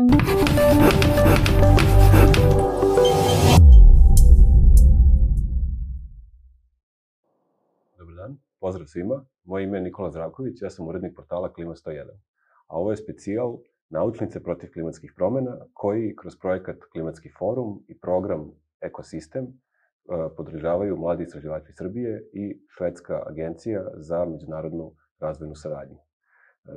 Dobar dan, pozdrav svima. Moje ime je Nikola Zdravković, ja sam urednik portala Klima 101. A ovo je specijal Naučnice protiv klimatskih promjena koji kroz projekat Klimatski forum i program Ekosistem podržavaju mladi istraživači Srbije i Švedska agencija za međunarodnu razvojnu saradnju.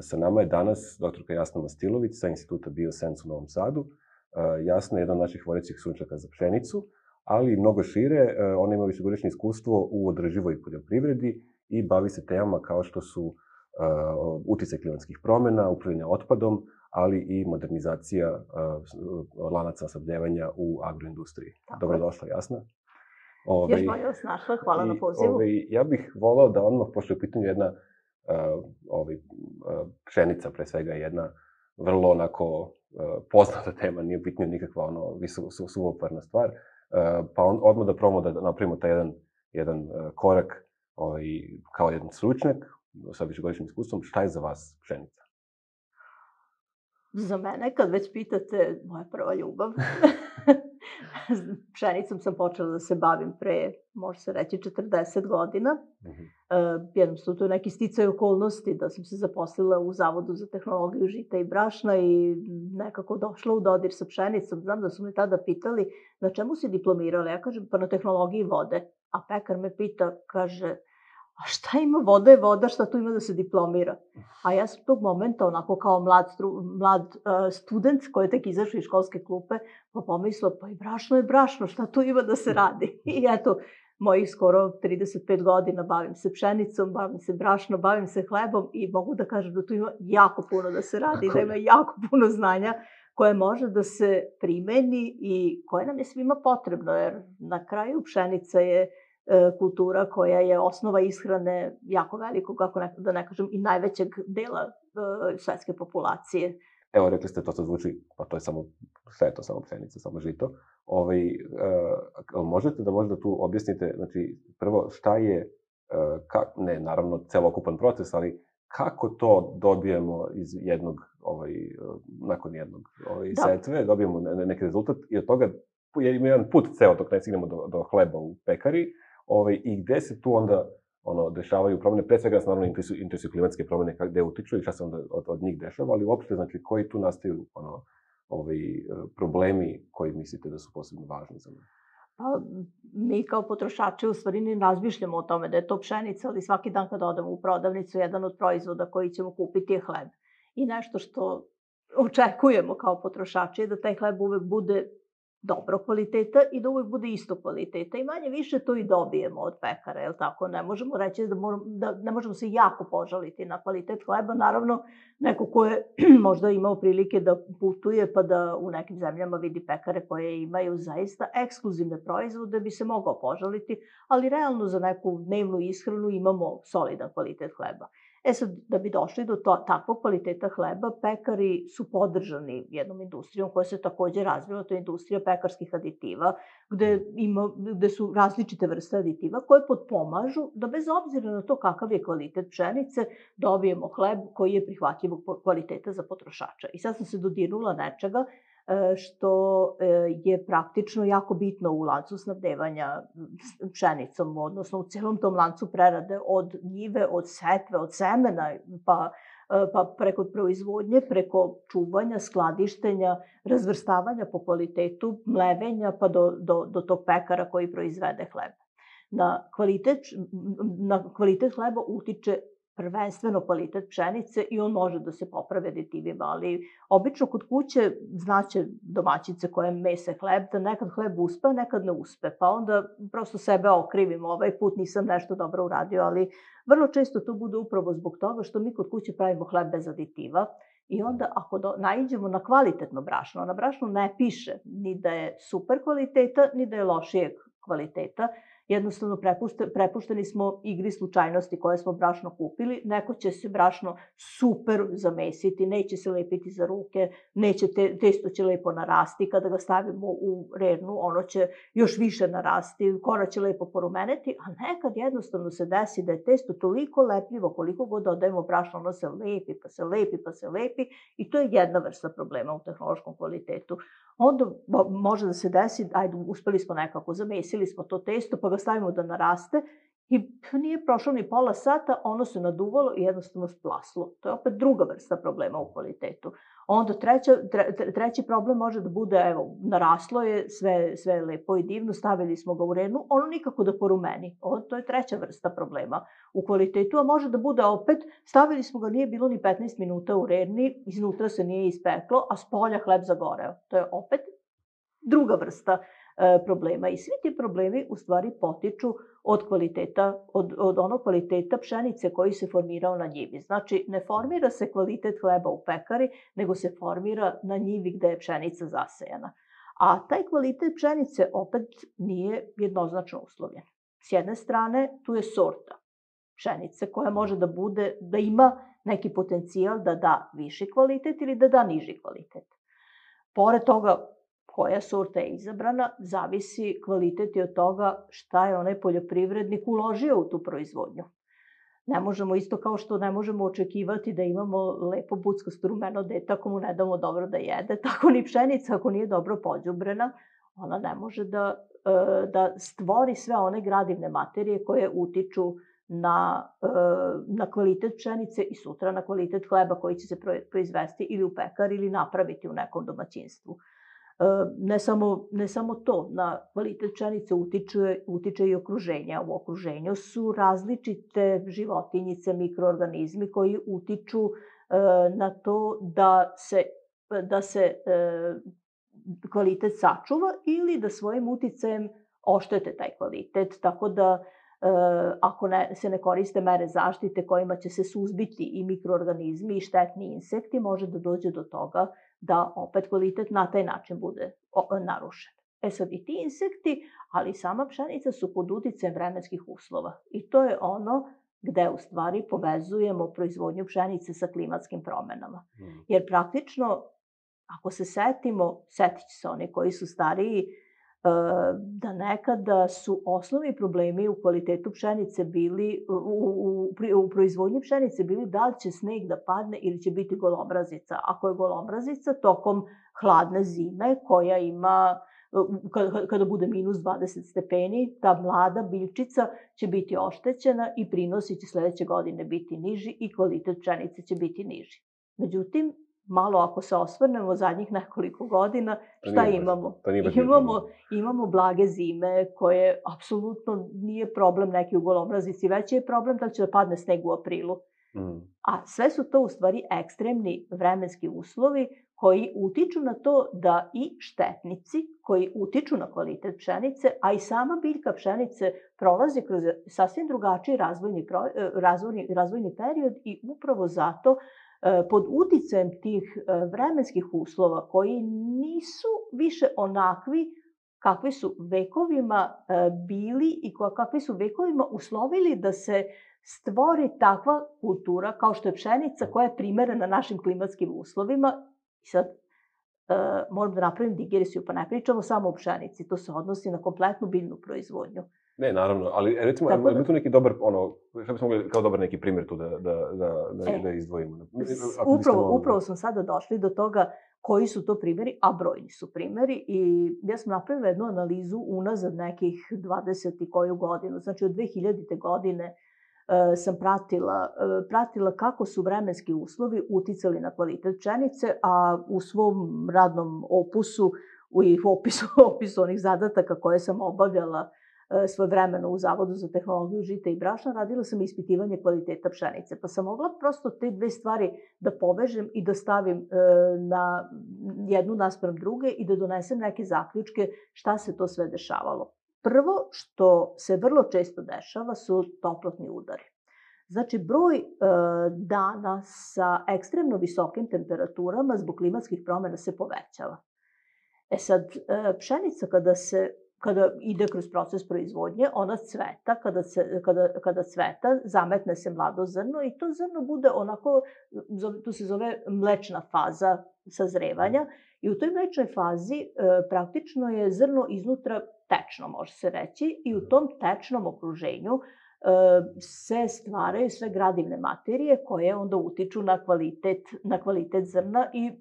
Sa nama je danas dr. Jasna Mastilović sa Instituta Biosens u Novom Sadu. Jasna je jedan od naših vodećih stručnjaka za pšenicu, ali i mnogo šire, ona ima višegodišnje iskustvo u održivoj poljoprivredi i bavi se temama kao što su uticaj klimatskih promjena, upravljanje otpadom, ali i modernizacija lanaca snabdevanja u agroindustriji. Dobrodošla, Jasna. Još bolje vas našla, hvala na pozivu. Ja bih volao da odmah, pošto je u pitanju jedna pšenica, pre svega jedna vrlo onako poznata tema, nije bitno nikakva suvoparna stvar, pa odmah da probamo da napravimo taj jedan korak kao jedan stručnjak sa višegodišnjim iskustvom. Šta je za vas pšenica? Za mene, kad već pitate, moja prva ljubav. Pšenicom sam počela da se bavim pre, može se reći, 40 godina. Jednostavno, to je neki sticaj okolnosti da sam se zaposlila u Zavodu za tehnologiju žita i brašna i nekako došla u dodir sa pšenicom. Znam da su me tada pitali na čemu si diplomirala. Ja kažem, pa na tehnologiji vode. A pekar me pita, kaže, a šta ima, voda je voda, šta tu ima da se diplomira? A ja sam tog momenta, onako kao mlad student koji je tek izašao iz školske klupe, pa pomislila, pa i brašno je brašno, šta tu ima da se radi? I eto, mojih skoro 35 godina bavim se pšenicom, bavim se brašnom, bavim se hlebom i mogu da kažem da tu ima jako puno da se radi, da ima jako puno znanja koje može da se primeni i koje nam je svima potrebno, jer na kraju pšenica je kultura koja je osnova ishrane jako velikog, kako da ne kažem, i najvećeg dela svetske populacije. Evo, rekli ste, to zvuči, pa to je samo, šta je to, samo pšenica, samo žito. Možete da možda tu objasnite, znači, prvo, šta je, ne, naravno, celokupan proces, ali kako to dobijemo iz jednog, nakon jednog setve, dobijemo neki rezultat i od toga ima jedan put ceo dok ne stignemo do hleba u pekari, i gde se tu onda dešavaju promene, pre svega nas naravno interesuju klimatske promene, gde utiču i šta se onda od njih dešava, ali uopšte, znači, koji tu nastaju problemi koji mislite da su posebno važni za nas? Pa, mi kao potrošači u stvari ne razmišljamo o tome da je to pšenica, ali svaki dan kad odemo u prodavnicu, jedan od proizvoda koji ćemo kupiti je hleb. I nešto što očekujemo kao potrošači je da taj hleb uvek bude dobro kvaliteta i da uvek bude isto kvaliteta i manje više to i dobijemo od pekara, jel tako? Ne možemo reći da ne možemo se jako požaliti na kvalitet hleba. Naravno, neko ko je možda imao prilike da putuje pa da u nekim zemljama vidi pekare koje imaju zaista ekskluzivne proizvode bi se mogao požaliti, ali realno za neku dnevnu ishranu imamo solidan kvalitet hleba. E sad, da bi došli do takvog kvaliteta hleba, pekari su podržani jednom industrijom koja se takođe razvila, to je industrija pekarskih aditiva, gde su različite vrste aditiva koje potpomažu da bez obzira na to kakav je kvalitet pšenice, dobijemo hleb koji je prihvatljivog kvaliteta za potrošača. I sad sam se dodirnula nečega što je praktično jako bitno u lancu snabdevanja pšenicom, odnosno u celom tom lancu prerade od njive, od setve, od semena, pa preko proizvodnje, preko čuvanja, skladištenja, razvrstavanja po kvalitetu, mlevenja, pa do tog pekara koji proizvede hleb. Na kvalitet hleba utiče prvenstveno kvalitet pšenice i on može da se popravi aditivima, ali obično kod kuće znaće domaćice koje mese hleb da nekad hleb uspe, a nekad ne uspe, pa onda prosto sebe okrivimo, ovaj put nisam nešto dobro uradio, ali vrlo često to bude upravo zbog toga što mi kod kuće pravimo hleb bez aditiva i onda ako naiđemo na kvalitetno brašno, na brašnu ne piše ni da je super kvaliteta, ni da je lošijeg kvaliteta. jednostavno prepušteni smo igri slučajnosti koje smo brašno kupili. Neko će se brašno super zamesiti, neće se lepiti za ruke, testo će lepo narasti. Kada ga stavimo u rernu, ono će još više narasti, kora će lepo porumeniti, a nekad jednostavno se desi da je testo toliko lepljivo, koliko god dodajemo brašno, ono se lepi, pa se lepi, pa se lepi i to je jedna vrsta problema u tehnološkom kvalitetu. Onda može da se desi, ajde, uspeli smo nekako, zamesili smo to testo, pa ga stavimo da naraste i nije prošlo ni pola sata, ono se naduvalo i jednostavno splaslo. To je opet druga vrsta problema u kvalitetu. Onda treći problem može da bude, evo, naraslo je, sve je lepo i divno, stavili smo ga u rernu, ono nikako da porumeni. To je treća vrsta problema u kvalitetu, a može da bude opet, stavili smo ga, nije bilo ni 15 minuta u rerni, iznutra se nije ispeklo, a s polja hleb zagoreo. To je opet druga vrsta problema. I svi ti problemi u stvari potiču od kvaliteta, od onog kvaliteta pšenice koji se formirao na njivi. Znači, ne formira se kvalitet hleba u pekari, nego se formira na njivi gde je pšenica zasejana. A taj kvalitet pšenice opet nije jednoznačno uslovljen. S jedne strane, tu je sorta pšenice koja može da ima neki potencijal da da viši kvalitet ili da da niži kvalitet. Pored toga, koja sorta je izabrana, zavisi kvalitet i od toga šta je onaj poljoprivrednik uložio u tu proizvodnju. Ne možemo, isto kao što ne možemo očekivati da imamo lepo buckasto rumeno dete ako mu ne damo dobro da jede, tako ni pšenica ako nije dobro pođubrena, ona ne može da stvori sve one gradivne materije koje utiču na kvalitet pšenice i sutra na kvalitet hleba koji će se proizvesti ili u pekari ili napraviti u nekom domaćinstvu. Ne samo to, na kvalitet pšenice utiče i okruženje. U okruženju su različite životinjice, mikroorganizmi koji utiču na to da se kvalitet sačuva ili da svojim uticajem oštete taj kvalitet. Tako da ako se ne koriste mere zaštite kojima će se suzbiti i mikroorganizmi i štetni insekti, može da dođe do toga da opet kvalitet na taj način bude narušen. Sad i ti insekti, ali i sama pšenica su pod uticajem vremenskih uslova. I to je ono gde u stvari povezujemo proizvodnju pšenice sa klimatskim promenama. Jer praktično, ako se setit će se oni koji su stariji, da nekada su osnovni problemi u kvalitetu pšenice bili, u proizvodnji pšenice bili da li će sneg da padne ili će biti golomrazica. Ako je golomrazica tokom hladne zime koja ima, kada bude minus 20 stepeni, ta mlada biljčica će biti oštećena i prinosi će sledeće godine biti niži i kvalitet pšenice će biti niži. Međutim, malo ako se osvrnemo zadnjih nekoliko godina, šta imamo? Imamo blage zime koje apsolutno nije problem neki u golomrazici, već je problem da će da padne sneg u aprilu. A sve su to u stvari ekstremni vremenski uslovi koji utiču na to da i štetnici koji utiču na kvalitet pšenice, a i sama biljka pšenice prolazi kroz sasvim drugačiji razvojni period i upravo zato pod uticajem tih vremenskih uslova koji nisu više onakvi kakvi su vekovima bili i kakvi su vekovima uslovili da se stvori takva kultura kao što je pšenica koja je primerena našim klimatskim uslovima. I sad moram da napravim digresiju, pa ne pričamo samo o pšenici, to se odnosi na kompletnu biljnu proizvodnju. Ne, naravno, ali recimo, je tu neki dobar, šta bismo mogli kao dobar neki primjer tu da izdvojimo? Upravo smo sada došli do toga koji su to primjeri, a brojni su primjeri i ja sam napravila jednu analizu unazad nekih 20 i koju godinu, znači od 2000. godine sam pratila kako su vremenski uslovi uticali na kvalitet pšenice, a u svom radnom opusu i opisu onih zadataka koje sam obavljala svojevremeno u Zavodu za tehnologiju žita i brašna, radila sam ispitivanje kvaliteta pšenice. Pa sam mogla prosto te dve stvari da povežem i da stavim na jednu naspram druge i da donesem neke zaključke šta se to sve dešavalo. Prvo što se vrlo često dešava su toplotni udari. Znači, broj dana sa ekstremno visokim temperaturama zbog klimatskih promena se povećava. Sad, pšenica kada se kada ide kroz proces proizvodnje, ona cveta, kada cveta, zametne se mlado zrno i to zrno bude onako, to se zove mlečna faza sazrevanja i u toj mlečnoj fazi praktično je zrno iznutra tečno, može se reći, i u tom tečnom okruženju se stvaraju sve gradivne materije koje onda utiču na kvalitet zrna i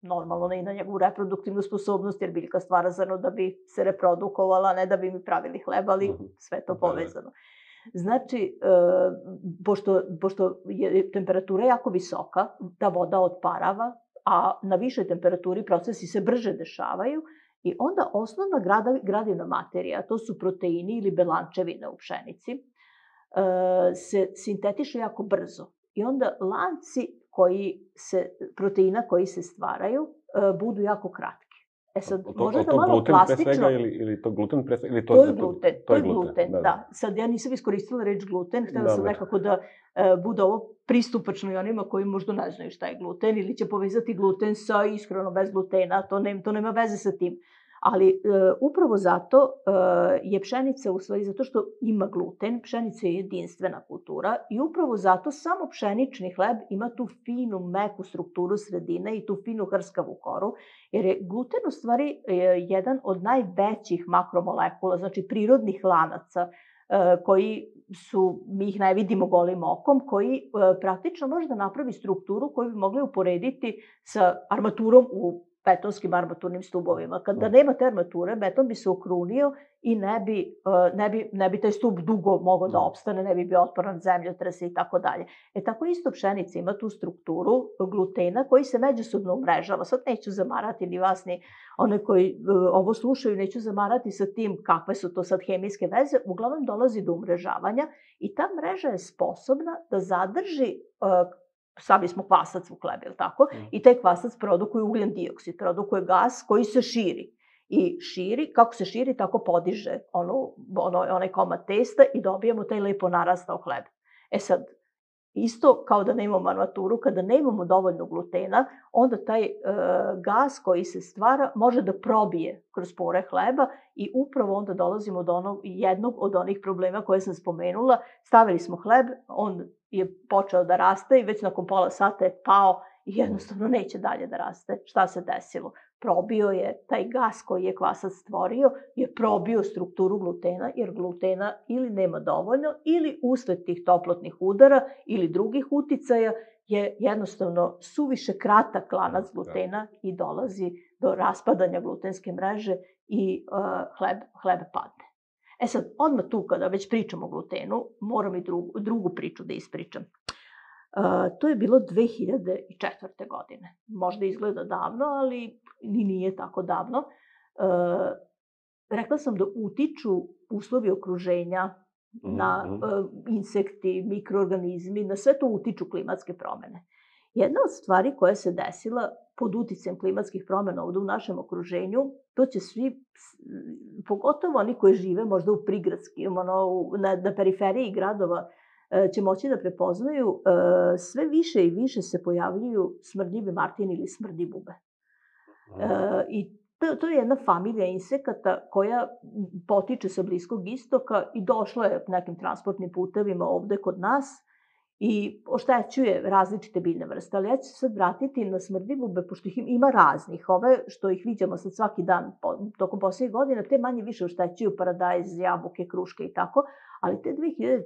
normalno i na njegovu reproduktivnu sposobnost, jer biljka stvara zrno da bi se reprodukovala, a ne da bi mi pravili hleb, ali sve to povezano. Znači, pošto je temperatura jako visoka, ta voda odparava, a na višoj temperaturi procesi se brže dešavaju i onda osnovna gradivna materija, to su proteini ili belančevine u pšenici, se sintetiše jako brzo. I onda lanci proteina koji se stvaraju budu jako kratki. Sad, možda da malo plastično... Ili to gluten pre svega? To je gluten, da. Sad, ja nisam iskoristila reč gluten, htela sam nekako da bude ovo pristupačno i onima koji možda ne znaju šta je gluten ili će povezati gluten sa ishrano bez glutena, to nema veze sa tim. Ali upravo zato je pšenica, u stvari zato što ima gluten, pšenica je jedinstvena kultura i upravo zato samo pšenični hleb ima tu finu, meku strukturu sredine i tu finu hrskavu koru, jer je gluten u stvari jedan od najvećih makromolekula, znači prirodnih lanaca koji mi ih ne vidimo golim okom, koji praktično može da napravi strukturu koju bi mogli uporediti sa armaturom u betonskim armaturnim stubovima. Kada nema te armature, beton bi se okrunio i ne bi taj stub dugo mogao da opstane, ne bi bio otporan zemljotrese i tako dalje. Tako isto pšenica ima tu strukturu glutena koji se međusobno umrežava. Sad neću zamarati ni vas, ni one koji ovo slušaju, neću zamarati sa tim kakve su to sad hemijske veze. Uglavnom dolazi do umrežavanja i ta mreža je sposobna da zadrži stavili smo kvasac u hleb, ili tako? I taj kvasac produkuje ugljen dioksid, produkuje gas koji se širi. I širi, kako se širi, tako podiže onaj komad testa i dobijamo taj lepo narastao hleb. Sad, isto kao da nemamo armaturu, kada nemamo dovoljno glutena, onda taj gas koji se stvara može da probije kroz pore hleba i upravo onda dolazimo do jednog od onih problema koje sam spomenula. Stavili smo hleb, on je počeo da raste i već nakon pola sata je pao i jednostavno neće dalje da raste. Šta se desilo? Probio je taj gas koji je kvasac stvorio, je probio strukturu glutena, jer glutena ili nema dovoljno, ili usled tih toplotnih udara ili drugih uticaja je jednostavno suviše kratak lanac glutena i dolazi do raspadanja glutenske mreže i hleb padne. Sad, odmah tu kada već pričamo o glutenu, moram i drugu priču da ispričam. To je bilo 2004. godine. Možda izgleda davno, ali ni nije tako davno. Rekla sam da utiču uslovi okruženja na insekti, mikroorganizmi, na sve to utiču klimatske promene. Jedna od stvari koja se desila pod uticajem klimatskih promena ovde u našem okruženju, to će svi, pogotovo oni koji žive možda u prigradskim, na periferiji gradova, će moći da prepoznaju, sve više i više se pojavljuju smrdljivi martin ili smrdi bube. I to je jedna familija insekata koja potiče sa Bliskog istoka i došla je nekim transportnim putevima ovde kod nas i oštećuje različite biljne vrste. Ali ja ću se sad vratiti na smrdljivube, pošto ih ima raznih. Ove što ih viđamo sad svaki dan tokom poslednjih godina, te manje više oštećuju paradajz, jabuke, kruške i tako, ali te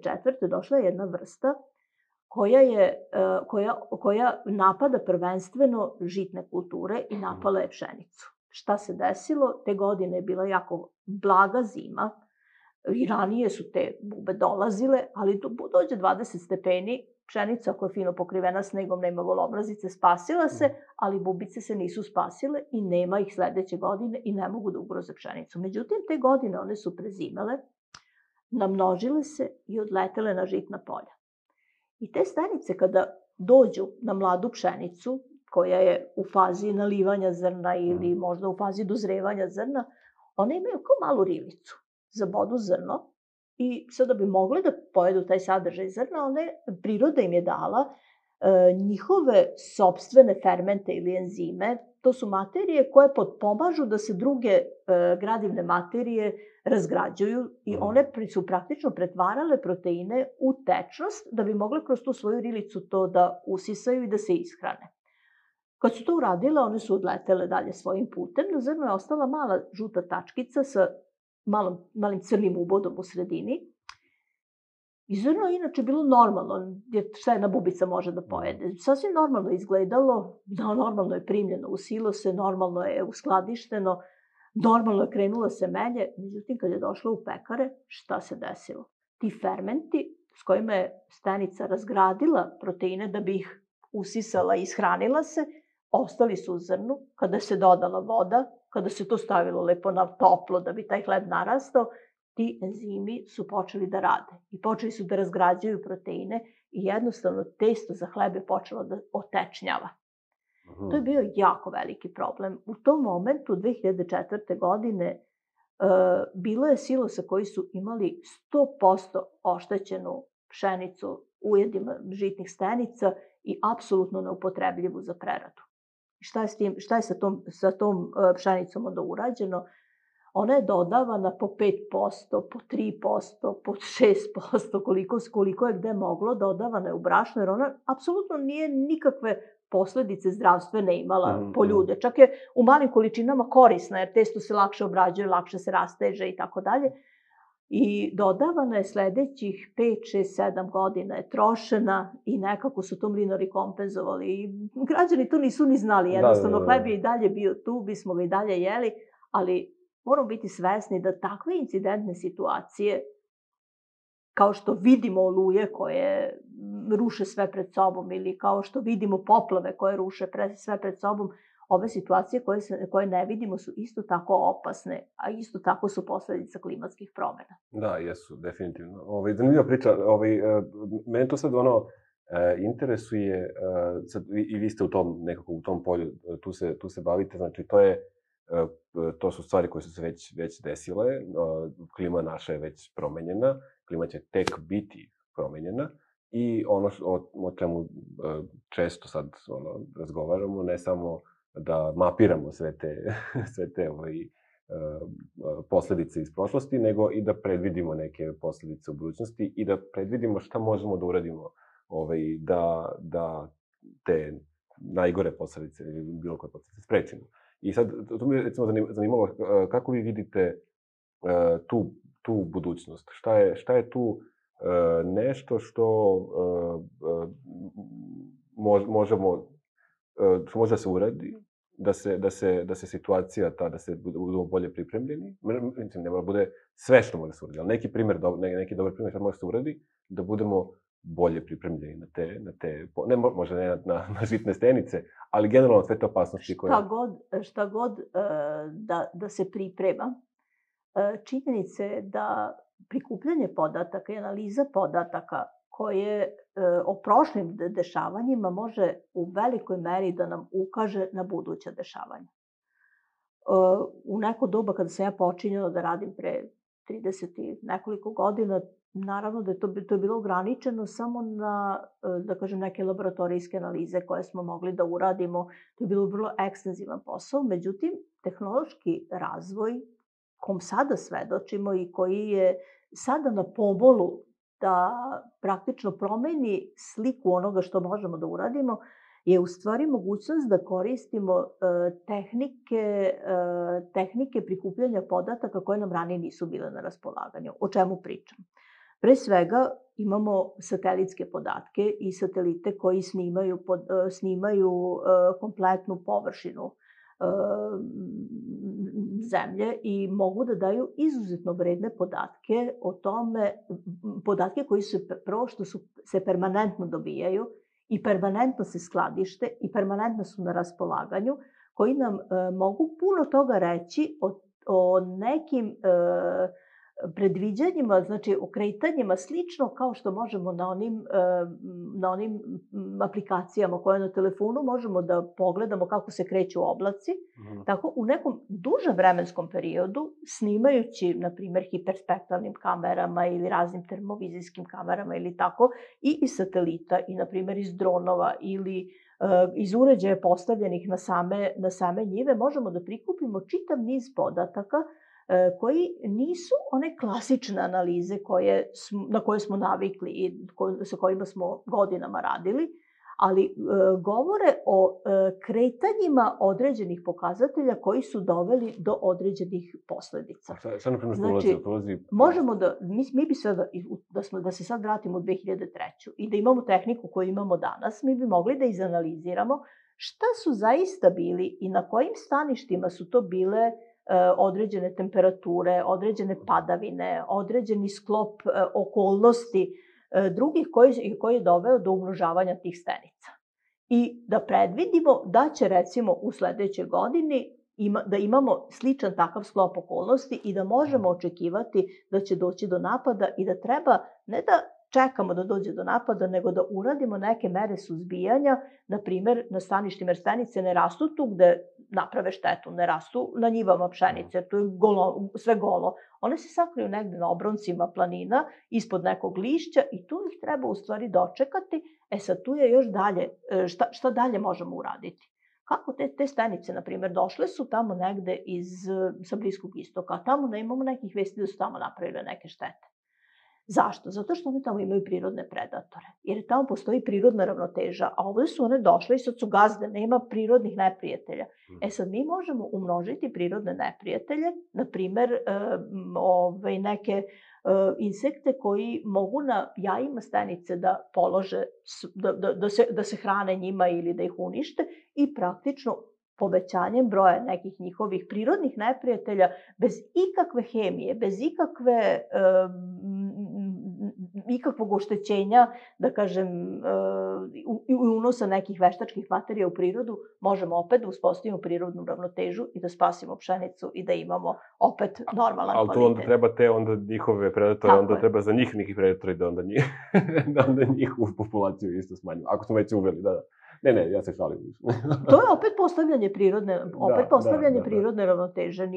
2004. došla je jedna vrsta koja napada prvenstveno žitne kulture i napala je pšenicu. Šta se desilo? Te godine je bila jako blaga zima i ranije su te bube dolazile, ali dođe 20 stepeni, pšenica koja je fino pokrivena snegom, nema golobrazice, spasila se, ali bubice se nisu spasile i nema ih sledeće godine i ne mogu da ugroze pšenicu. Međutim, te godine one su prezimale, namnožile se i odletele na žitna polja. I te stanice kada dođu na mladu pšenicu, koja je u fazi nalivanja zrna ili možda u fazi dozrevanja zrna, one imaju kao malu rivicu. Zabodu zrno i sada bi mogli da pojedu taj sadržaj zrna, priroda im je dala njihove sopstvene fermente ili enzime, to su materije koje potpomažu da se druge gradivne materije razgrađuju i one su praktično pretvarale proteine u tečnost da bi mogle kroz tu svoju rilicu to da usisaju i da se ishrane. Kad su to uradile, one su odletele dalje svojim putem. Na zrnu je ostala mala žuta tačkica sa malim crnim ubodom u sredini. I zrno je inače bilo normalno, šta jedna bubica može da pojede. Sasvim normalno izgledalo, normalno je primljeno u silose, normalno je uskladišteno, normalno je krenulo semenje. Međutim, kad je došlo u pekare, šta se desilo? Ti fermenti s kojima je stenica razgradila proteine da bi ih usisala i ishranila se, ostali su u zrnu. Kada se dodala voda, kada se to stavilo lepo na toplo da bi taj hleb narastao, ti enzimi su počeli da rade i počeli su da razgrađuju proteine i jednostavno testo za hleb je počelo da otečnjava. To je bio jako veliki problem. U tom momentu, 2004. godine, bilo je silosa koji su imali 100% oštećenu pšenicu ujedima žitnih stenica i apsolutno neupotrebljivu za preradu. Šta je sa tom pšenicom onda urađeno? Ona je dodavana po 5%, po 3%, po 6%, koliko je gde moglo, dodavana je u brašno, jer ona apsolutno nije nikakve posledice zdravstvene imala po ljude. Čak je u malim količinama korisna, jer testo se lakše obrađuje, lakše se rasteže i tako dalje. I dodavana je sledećih 5, 6, 7 godina je trošena i nekako su to mlinari kompenzovali. I građani to nisu ni znali, jednostavno hleb je i dalje bio tu, bismo ga i dalje jeli, ali moramo biti svesni da takve incidentne situacije, kao što vidimo oluje koje ruše sve pred sobom ili kao što vidimo poplave koje ruše sve pred sobom, ove situacije koje ne vidimo su isto tako opasne, a isto tako su posledica klimatskih promena. Da, jesu, definitivno. Zanimljiva priča. Mene to sad interesuje, i vi ste u tom polju, tu se bavite, znači to su stvari koje su se već desile, klima naša je već promenjena, klima će tek biti promenjena i ono o čemu često sad razgovaramo, ne samo da mapiramo sve te posledice iz prošlosti, nego i da predvidimo neke posledice u budućnosti i da predvidimo šta možemo da uradimo da te najgore posledice ili bilo koje posledice sprečimo. I sad, to mi je recimo zanimalo kako vi vidite tu budućnost. Šta je tu nešto što može da se uradi, da se situacija ta, da se budemo bolje pripremljeni. Mislim, ne mora bude sve što može da se uradi, ali neki dobar primjer što može da se uradi, da budemo bolje pripremljeni na te, možda ne na žitne stenice, ali generalno sve te opasnosti koje... Šta god da se priprema, činjenica je da prikupljanje podataka i analiza podataka koje o prošlim dešavanjima može u velikoj meri da nam ukaže na buduća dešavanja. U neko doba kada sam ja počinjala da radim pre 30 i nekoliko godina, naravno da je to bilo ograničeno samo na, da kažem, neke laboratorijske analize koje smo mogli da uradimo. To je bilo vrlo ekstenzivan posao. Međutim, tehnološki razvoj kom sada svedočimo i koji je sada na pomolu da praktično promeni sliku onoga što možemo da uradimo, je u stvari mogućnost da koristimo tehnike prikupljanja podataka koje nam ranije nisu bile na raspolaganju. O čemu pričam? Pre svega imamo satelitske podatke i satelite koji snimaju kompletnu površinu zemlje i mogu da daju izuzetno vredne podatke o tome, podatke koji su prvo što se permanentno dobijaju i permanentno se skladište i permanentno su na raspolaganju, koji nam mogu puno toga reći o nekim predviđanjima, znači o kretanjima slično kao što možemo na onim aplikacijama koje na telefonu možemo da pogledamo kako se kreću oblaci. Tako u nekom dužem vremenskom periodu, snimajući, na primer, hiperspektralnim kamerama ili raznim termovizijskim kamerama ili tako, i iz satelita, i na primer iz dronova ili iz uređaja postavljenih na same njive, možemo da prikupimo čitav niz podataka koji nisu one klasične analize na koje smo navikli i sa kojima smo godinama radili, ali govore o kretanjima određenih pokazatelja koji su doveli do određenih posledica. Šta na primjer Znači, možemo da, mi bi sada, da se sad vratimo u 2003. i da imamo tehniku koju imamo danas, mi bi mogli da izanaliziramo šta su zaista bili i na kojim staništima su to bile određene temperature, određene padavine, određeni sklop okolnosti drugih koji je doveo do umnožavanja tih stenica. I da predvidimo da će, recimo, u sledećoj godini da imamo sličan takav sklop okolnosti i da možemo očekivati da će doći do napada i da treba ne da čekamo da dođe do napada, nego da uradimo neke mere suzbijanja, na primer na staništima, jer stanice ne rastu tu gde naprave štetu, ne rastu na njivama pšenice, to je sve golo. One se sakriju negde na obroncima planina, ispod nekog lišća i tu ih treba u stvari dočekati. Sad tu je još dalje, šta dalje možemo uraditi? Kako te stanice, na primer, došle su tamo negde sa Bliskog istoka, tamo da imamo nekih vesti da su tamo napravile neke štete. Zašto? Zato što one tamo imaju prirodne predatore, jer tamo postoji prirodna ravnoteža, a ovde su one došle i sad su gazde, nema prirodnih neprijatelja. Sad mi možemo umnožiti prirodne neprijatelje, na primer neke insekte koji mogu na jajima stanice da polože, da se hrane njima ili da ih unište i praktično povećanjem broja nekih njihovih prirodnih neprijatelja, bez ikakve hemije, bez ikakvog oštećenja, da kažem, i unosa nekih veštačkih materija u prirodu, možemo opet da uspostavimo prirodnu ravnotežu i da spasimo pšenicu i da imamo opet normalan kvalitet. Ali tu onda treba onda njihove predatore, onda treba za njih neki predatori da onda njihovu populaciju isto smanjimo. Ako smo već uveli, da. Ne, ja se šalim. To je opet postavljanje prirodne ravnoteže.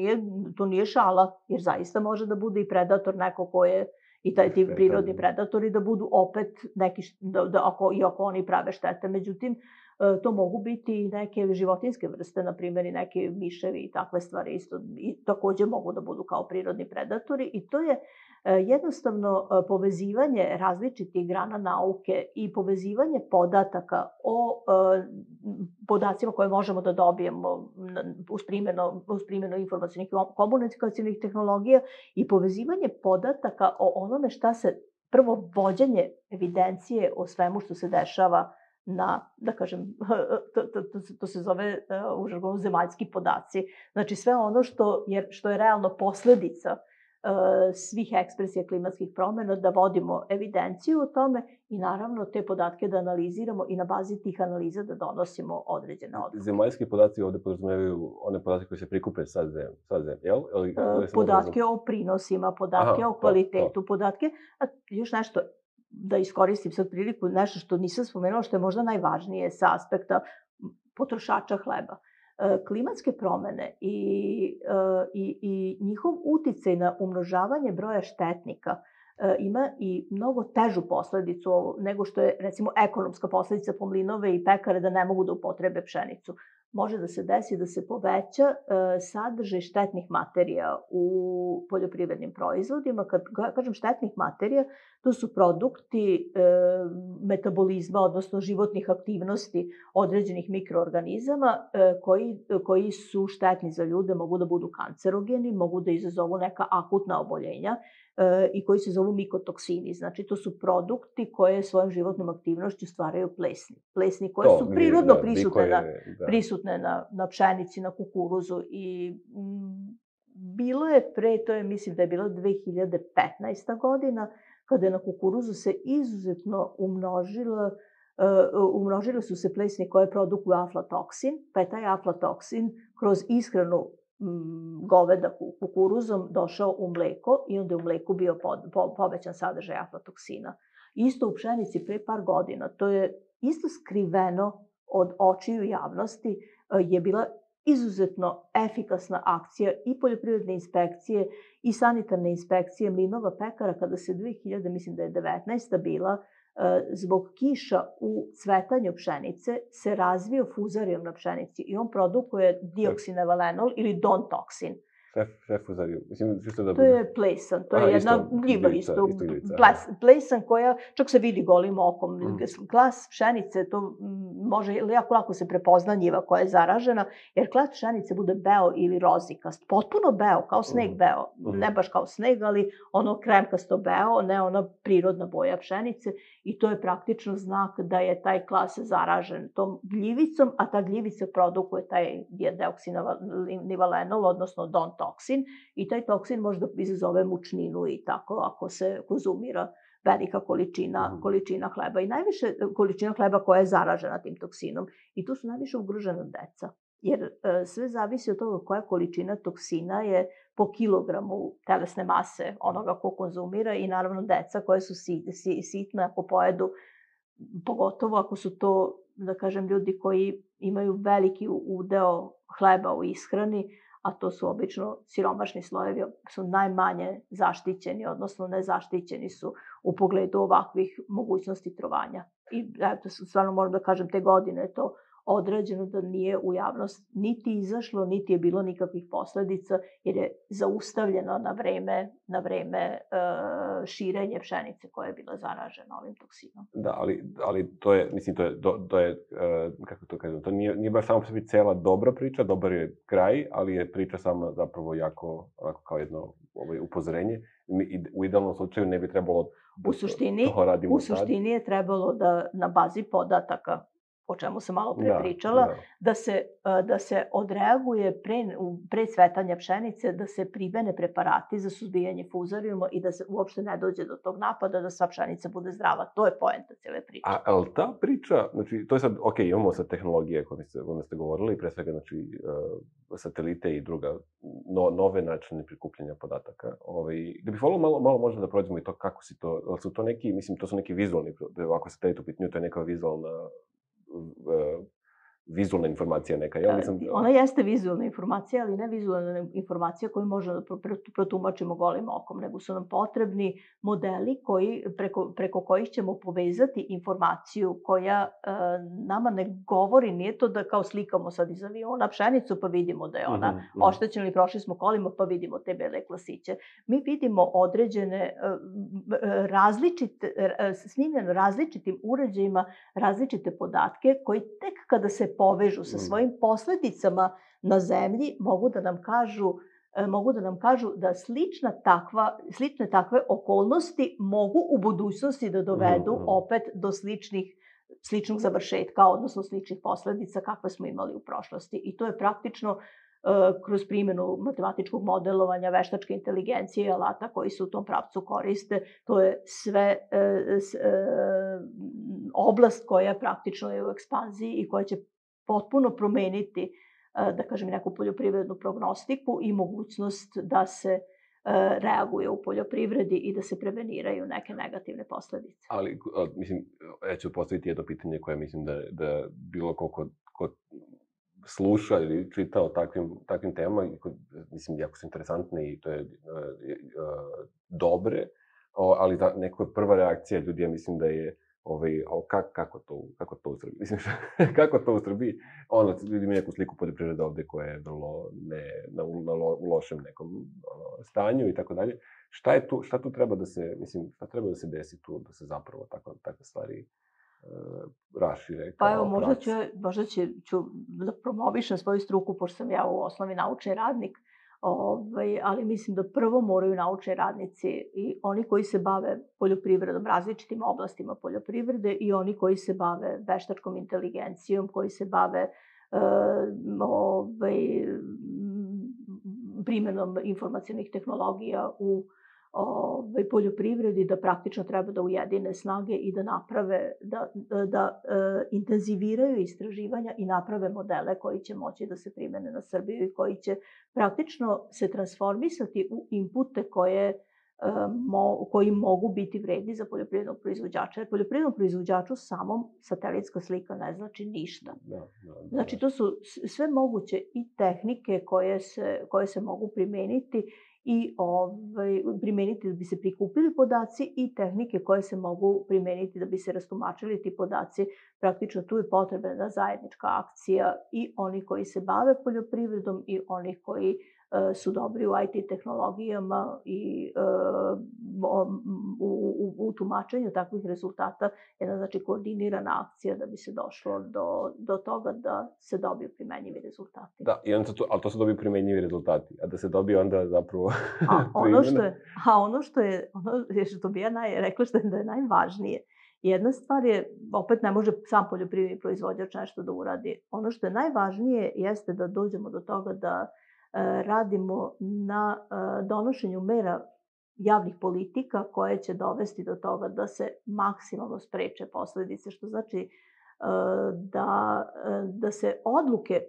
To nije šala, jer zaista može da bude i predator neko ko je i ti prirodni predatori da budu opet neki, iako oni prave štete. Međutim, to mogu biti i neke životinjske vrste, na primjer i neke miševi i takve stvari isto. I takođe mogu da budu kao prirodni predatori i to je jednostavno povezivanje različitih grana nauke i povezivanje podataka o podacima koje možemo da dobijemo uz primjenu informacijnih i komunikacijnih tehnologija i povezivanje podataka o onome šta se, prvo vođenje evidencije o svemu što se dešava da kažem, to se zove u žargonu zemaljski podaci. Znači sve ono što je realno posledica svih ekspresija klimatskih promena, da vodimo evidenciju o tome i naravno te podatke da analiziramo i na bazi tih analiza da donosimo određene odluke. Zemaljski podaci ovde podrazumevaju one podatke koje se prikupe sa zemlje, jel? Podatke o prinosima, podatke o kvalitetu, podatke, još nešto, da iskoristim sad priliku, nešto što nisam spomenula, što je možda najvažnije sa aspekta potrošača hleba. Klimatske promene i njihov uticaj na umnožavanje broja štetnika ima i mnogo težu posledicu nego što je, recimo, ekonomska posledica po mlinove i pekare da ne mogu da upotrebe pšenicu. Može da se desi da se poveća sadržaj štetnih materija u poljoprivrednim proizvodima. Kad kažem štetnih materija, to su produkti metabolizma, odnosno životnih aktivnosti određenih mikroorganizama koji su štetni za ljude, mogu da budu kancerogeni, mogu da izazovu neka akutna oboljenja i koji se zovu mikotoksini. Znači, to su produkti koje svojom životnom aktivnošću stvaraju plesni. Plesni koje su prirodno prisutne na pšenici, na kukuruzu i bilo je mislim da je bilo 2015. godina, kada je na kukuruzu se izuzetno umnožile su se plesni koje produkuju aflatoksin, pa je taj aflatoksin kroz ishranu goveda kukuruzom došao u mleko i onda je u mleku bio povećan sadržaj aflatoksina. Isto u pšenici pre par godina, to je isto skriveno od očiju javnosti, je bila izuzetno efikasna akcija i poljoprivredne inspekcije i sanitarne inspekcije mlinova pekara kada se 2019. bila zbog kiša u cvetanju pšenice se razvio fuzarijum na pšenici i on produkuje dioksinevalenol ili dontoksin. Šta je fuzarijum? Mislim, čisto da To je plesan, to je jedna gljiva isto. Plesan koja, čak se vidi golim okom, klas pšenice, to može jako lako se prepozna njiva koja je zaražena, jer klas pšenice bude beo ili rozikast, potpuno beo, kao sneg beo, ne baš kao sneg, ali ono kremkasto beo, ne ona prirodna boja pšenice i to je praktično znak da je taj klas zaražen tom gljivicom, a ta gljivica produkuje taj dioksinivalenol, odnosno dontoksin, i taj toksin može da izazove mučninu i tako ako se konzumira velika količina hleba. I najviše količina hleba koja je zaražena tim toksinom. I tu su najviše ugrožena deca. Jer sve zavisi od toga koja količina toksina je po kilogramu telesne mase onoga ko konzumira i naravno deca koja su sitna ako pojedu, pogotovo ako su to, da kažem, ljudi koji imaju veliki udeo hleba u ishrani, a to su obično siromašni slojevi, su najmanje zaštićeni, odnosno nezaštićeni su u pogledu ovakvih mogućnosti trovanja. I eto, stvarno moram da kažem, te godine je to odrađeno da nije u javnost niti izašlo, niti je bilo nikakvih posledica, jer je zaustavljeno na vreme širenje pšenice koja je bila zaražena ovim toksinom. Da, ali to je, mislim, to je, kako to kažem, to nije baš samo po sebi cela dobra priča, dobar je kraj, ali je priča sama zapravo jako kao jedno upozorenje. U idealnom slučaju ne bi trebalo da to radimo sad. U suštini je trebalo da na bazi podataka, o čemu sam malo pre pričala, da se odreaguje pre cvetanja pšenice, da se primene preparati za suzbijanje fuzarijuma i da se uopšte ne dođe do tog napada, da sva pšenica bude zdrava. To je poenta cijele priče. Ali ta priča, znači, to je sad, ok, imamo sad tehnologije koje ste govorili, pre svega, znači, satelite i druga, nove načine prikupljanja podataka. Da bih volio malo možda da prođemo i to kako si to, ali su to neki, mislim, to su neki vizualni, ako satelit u pitanju, to je neka vizualna informacija neka. Ona jeste vizualna informacija, ali ne vizualna informacija koju možemo da protumačimo golim okom, nego su nam potrebni modeli preko kojih ćemo povezati informaciju koja nama ne govori, nije to da kao slikamo sad iz aviona pšenicu pa vidimo da je ona oštećena ili prošli smo kolima pa vidimo te bele klasiće. Mi vidimo određene snimljene različitim uređajima različite podatke koji tek kada se povežu sa svojim posledicama na zemlji mogu da nam kažu da slične takve okolnosti mogu u budućnosti da dovedu opet do sličnog završetka, odnosno sličnih posledica kakve smo imali u prošlosti. I to je praktično kroz primjenu matematičkog modelovanja, veštačke inteligencije i alata koji se u tom pravcu koriste. To je sve oblast koja praktično je u ekspanziji i koja će potpuno promeniti, da kažem, neku poljoprivrednu prognostiku i mogućnost da se reaguje u poljoprivredi i da se preveniraju neke negativne posledice. Ali, mislim, ja ću postaviti jedno pitanje koje mislim da bilo ko sluša ili čita o takvim temama, mislim, jako su interesantne i to je dobre, ali neka prva reakcija ljudi, ja mislim da je kako to u Srbiji? Mislim, kako to u Srbiji? Ljudi imaju neku sliku poljoprivrede ovde koja je vrlo u lošem nekom stanju i tako dalje. Šta tu treba da se, mislim, šta treba da se desi tu, da se zapravo takve stvari rašire? Pa evo, možda ću da promovišem svoju struku, pošto sam ja u osnovi naučni radnik, ali mislim da prvo moraju naučni radnici i oni koji se bave poljoprivredom, različitim oblastima poljoprivrede i oni koji se bave veštačkom inteligencijom, koji se bave primjenom informacionih tehnologija u poljoprivredi, da praktično treba da ujedine snage i da naprave, da intenziviraju istraživanja i naprave modele koji će moći da se primene na Srbiju i koji će praktično se transformisati u inpute koji mogu biti vredni za poljoprivrednog proizvođača. Jer poljoprivrednom proizvođaču samom satelitska slika ne znači ništa. Znači, to su sve moguće i tehnike koje se mogu primeniti i primeniti da bi se prikupili podaci i tehnike koje se mogu primeniti da bi se rastumačili ti podaci. Praktično tu je potrebna zajednička akcija i oni koji se bave poljoprivredom i oni koji su dobri u IT tehnologijama i u tumačenju takvih rezultata, jedna znači koordinirana akcija da bi se došlo do toga da se dobiju primenjivi rezultati. Da, ali to se dobiju primenjivi rezultati, a da se dobije onda zapravo ono što bi ja rekla da je najvažnije, jedna stvar je, opet ne može sam poljoprivredni proizvođač nešto da uradi. Ono što je najvažnije jeste da dođemo do toga da radimo na donošenju mera javnih politika koje će dovesti do toga da se maksimalno spreče posledice, što znači da se odluke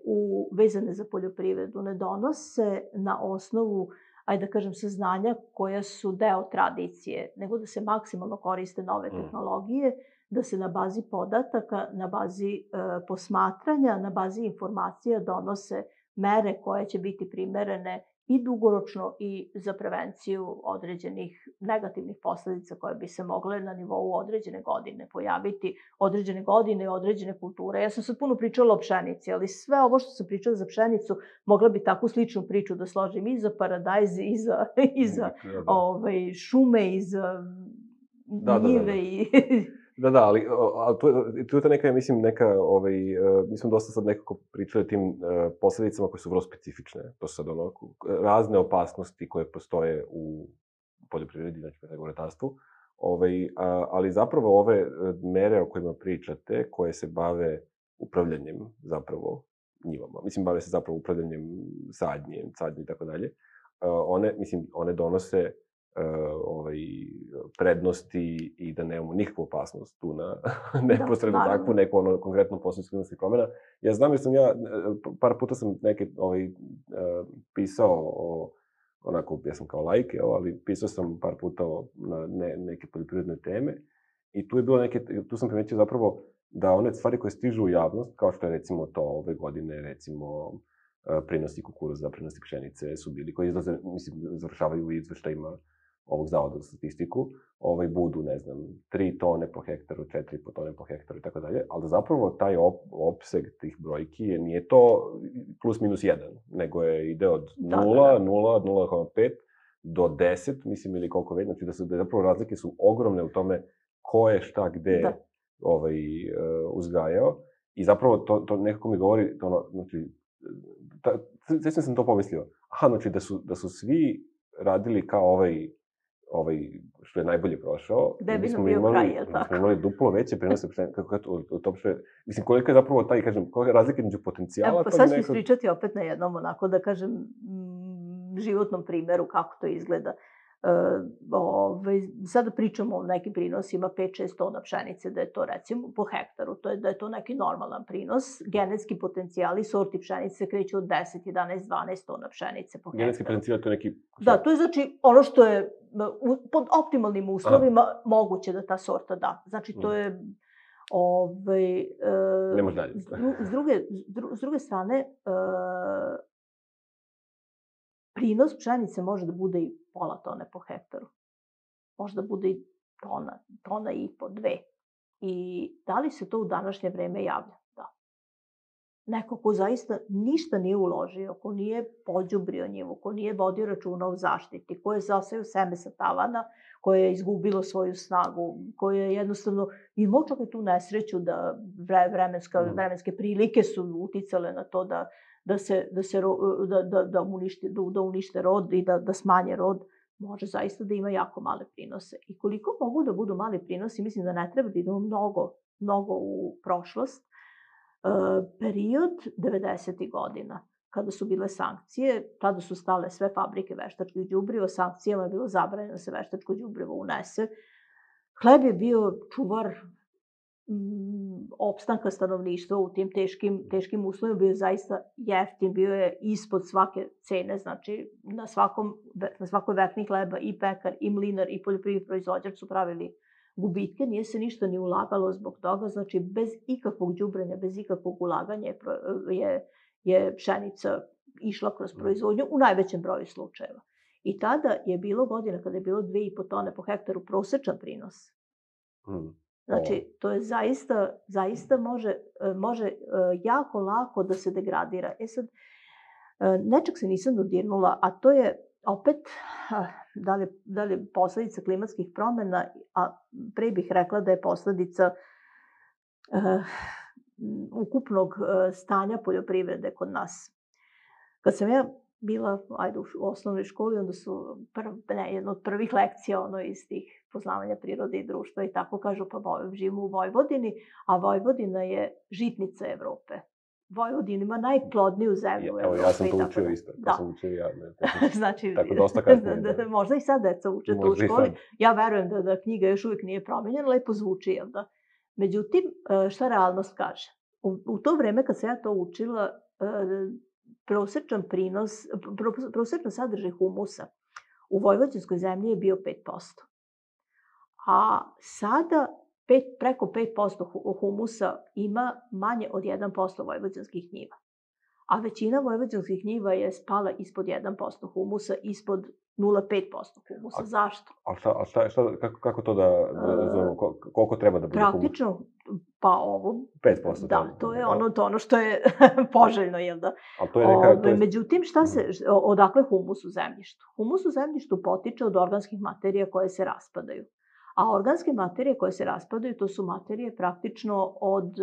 vezane za poljoprivredu ne donose na osnovu, ajde da kažem, saznanja koja su deo tradicije, nego da se maksimalno koriste nove tehnologije, da se na bazi podataka, na bazi posmatranja, na bazi informacija donose mere koje će biti primerene i dugoročno i za prevenciju određenih negativnih posledica koje bi se mogle na nivou određene godine pojaviti, određene godine, određene kulture. Ja sam sad puno pričala o pšenici, ali sve ovo što sam pričala za pšenicu, mogla bi takvu sličnu priču da složim i za paradajz, i za šume, i za njive. Da, ali tu je ta neka, mislim, mi smo dosta sad nekako pričali o tim posledicama koje su vrlo specifične. To su sad razne opasnosti koje postoje u poljoprivredi, znači u ratarstvu. Ali zapravo ove mere o kojima pričate, koje se bave upravljanjem zapravo njivama, mislim, bave se zapravo upravljanjem sadnje i tako dalje, one donose prednosti i da nemamo nikakvu opasnost tu na neposredno takvu neku konkretnu posledicu klimatskih promena. Ja znam jer sam par puta sam pisao onako, ja sam kao laik, ali pisao sam par puta na neke poljoprivredne teme i tu sam primetio zapravo da one stvari koje stižu u javnost, kao što je recimo to ove godine, recimo prinosi kukuruza, prinosi pšenice su bili, koji izlaze, mislim, završavaju u izveštajima ovog zavoda za statistiku, budu, ne znam, 3 tone po hektaru, 4,5 tone po hektaru i tako dalje, ali zapravo taj opseg tih brojki nije to plus minus 1, nego ide od 0, 0,5 do 10, mislim, ili koliko već, znači da zapravo razlike su ogromne u tome ko je šta gde uzgajao i zapravo to nekako mi govori, znači, sve sam to pomislio, znači da su svi radili kao što je najbolje prošao. Gde bi nam bio kraj, je li tako? Smo imali duplo veće prenose, mislim, koliko je zapravo taj, kažem, koliko je razlika među potencijala... Evo, pa sad ću ispričati opet na jednom, onako da kažem, životnom primeru kako to izgleda. Sada pričamo o nekim prinosima 5-6 tona pšenice, da je to recimo po hektaru, da je to neki normalan prinos. Genetski potencijali sorti pšenice kreću od 10, 11, 12 tona pšenice po hektaru. Genetski potencijal to je neki... Da, to je znači ono što je pod optimalnim uslovima moguće da ta sorta da. Znači to je... Ne može dalje. S druge strane, prinos pšenice može da bude i pola tone po hektaru. Može da bude i tona i po, 2. I da li se to u današnje vreme javlja? Da. Neko ko zaista ništa nije uložio, ko nije pođubrio njivu, ko nije vodio računa o zaštiti, ko je zaseo seme sa tavana, koje je izgubilo svoju snagu, koje je jednostavno imao čak i tu nesreću da vremenske prilike su uticale na to da unište rod i da smanje rod, može zaista da ima jako male prinose. I koliko mogu da budu mali prinosi, mislim da ne treba da idemo mnogo u prošlost. Period 90. godina. kada su bile sankcije, tada su stale sve fabrike veštačkih đubriva, sankcijama je bilo zabranjeno da se veštačko đubrivo unese. Hleb je bio čuvar opstanka stanovništva u tim teškim uslovima, bio je zaista jeftin, bio je ispod svake cene, znači na svakoj vekni hleba i pekar, i mlinar, i poljoprivredni proizvođač su pravili gubitke, nije se ništa ni ulagalo zbog toga, znači bez ikakvog đubrenja, bez ikakvog ulaganja je pšenica išla kroz proizvodnju u najvećem broju slučajeva. I tada je bilo godina kada je bilo 2,5 tone po hektaru prosečan prinos. Znači, to je zaista može jako lako da se degradira. Sad, nečeg se nisam dodirnula, a to je opet, da li je posledica klimatskih promena, a pre bih rekla da je posledica ukupnog stanja poljoprivrede kod nas. Kad sam ja bila u osnovnoj školi, onda su jedna od prvih lekcija iz tih poznavanja prirode i društva i tako kažu, pa živimo u Vojvodini, a Vojvodina je žitnica Evrope. Vojvodina ima najplodniju zemlju u Evropi. Evo, ja sam to učio isto. To sam učio ja. Znači, tako dosta kasnije. Možda i sad deca uče to u školi. Ja verujem da knjiga još uvijek nije promenjena, lepo zvuči, jel da? Međutim, šta realnost kaže? U to vreme kad sam ja to učila, prosečan sadržaj humusa u vojvođanskoj zemlji je bio 5%. A sada preko 5% humusa ima manje od 1% vojvođanskih njiva. A većina vojvođanskih njiva je spala ispod 1% humusa, ispod 0,5% humusa. Zašto? Kako to da zovemo? Koliko treba da bude humus? Praktično, pa ovo... 5%. Da, to je ono što je poželjno, jel da? Međutim, odakle humus u zemljištu? Humus u zemljištu potiče od organskih materija koje se raspadaju. A organske materije koje se raspadaju, to su materije praktično od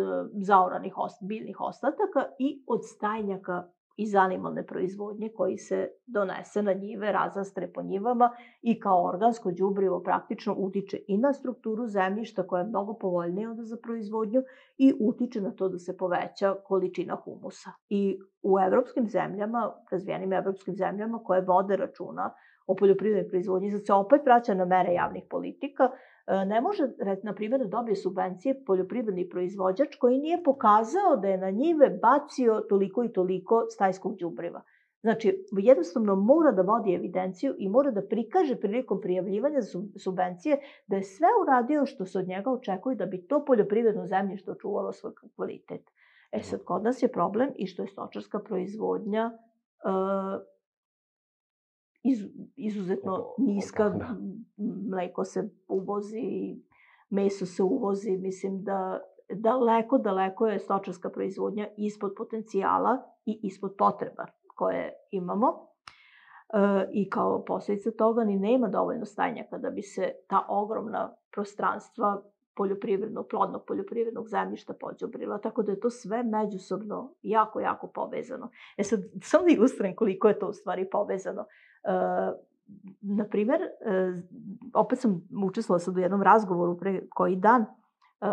zaoranih biljnih ostataka i od stajnjaka iz animalne proizvodnje koji se donese na njive, razastre po njivama i kao organsko đubrivo praktično utiče i na strukturu zemljišta koja je mnogo povoljnija za proizvodnju i utiče na to da se poveća količina humusa. I u evropskim zemljama, razvijenim evropskim zemljama koje vode računa o poljoprivrednoj proizvodnji, sad se opet vraća na mere javnih politika, ne može, na primjer, da dobije subvencije poljoprivredni proizvođač koji nije pokazao da je na njive bacio toliko i toliko stajskog đubriva. Znači, jednostavno mora da vodi evidenciju i mora da prikaže prilikom prijavljivanja subvencije da je sve uradio što se od njega očekuje da bi to poljoprivredno zemljište očuvalo svoj kvalitet. Sad, kod nas je problem i što je stočarska proizvodnja izuzetno niska, mleko se uvozi, meso se uvozi, mislim da daleko je stočarska proizvodnja ispod potencijala i ispod potreba koje imamo. I kao posljedica toga ni nema dovoljno stajnjaka da bi se ta ogromna prostranstva plodnog poljoprivrednog zemljišta pođubrila, tako da je to sve međusobno jako, jako povezano. Sad, samo da ilustrujem koliko je to u stvari povezano. Naprimer, opet sam učestvovala sad u jednom razgovoru pre koji dan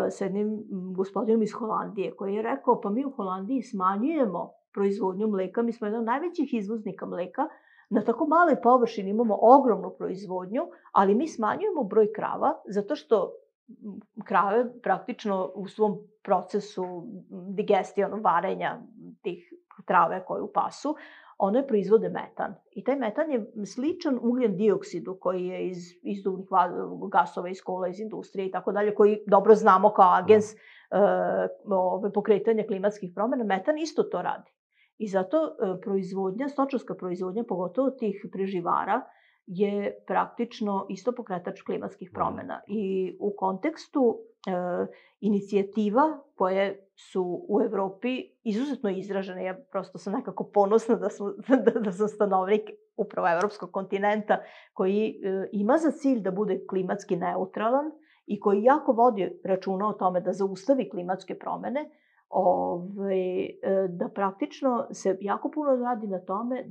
s jednim gospodinom iz Holandije koji je rekao, pa mi u Holandiji smanjujemo proizvodnju mleka, mi smo jedan od najvećih izvoznika mleka, na tako maloj površini imamo ogromnu proizvodnju, ali mi smanjujemo broj krava zato što krave praktično u svom procesu digestije, varenja tih trave koje u pasu, one proizvode metan. I taj metan je sličan ugljen dioksidu koji je iz izduvnih gasova, iz kola, iz industrije i tako dalje, koji dobro znamo kao agens pokretanja klimatskih promjena. Metan isto to radi. I zato stočarska proizvodnja, pogotovo tih preživara, je praktično isto pokretač klimatskih promjena. I u kontekstu inicijativa koje su u Evropi izuzetno izražene, ja prosto sam nekako ponosna da sam stanovnik upravo evropskog kontinenta koji ima za cilj da bude klimatski neutralan i koji jako vodi računa o tome da zaustavi klimatske promjene, da praktično se jako puno radi na tome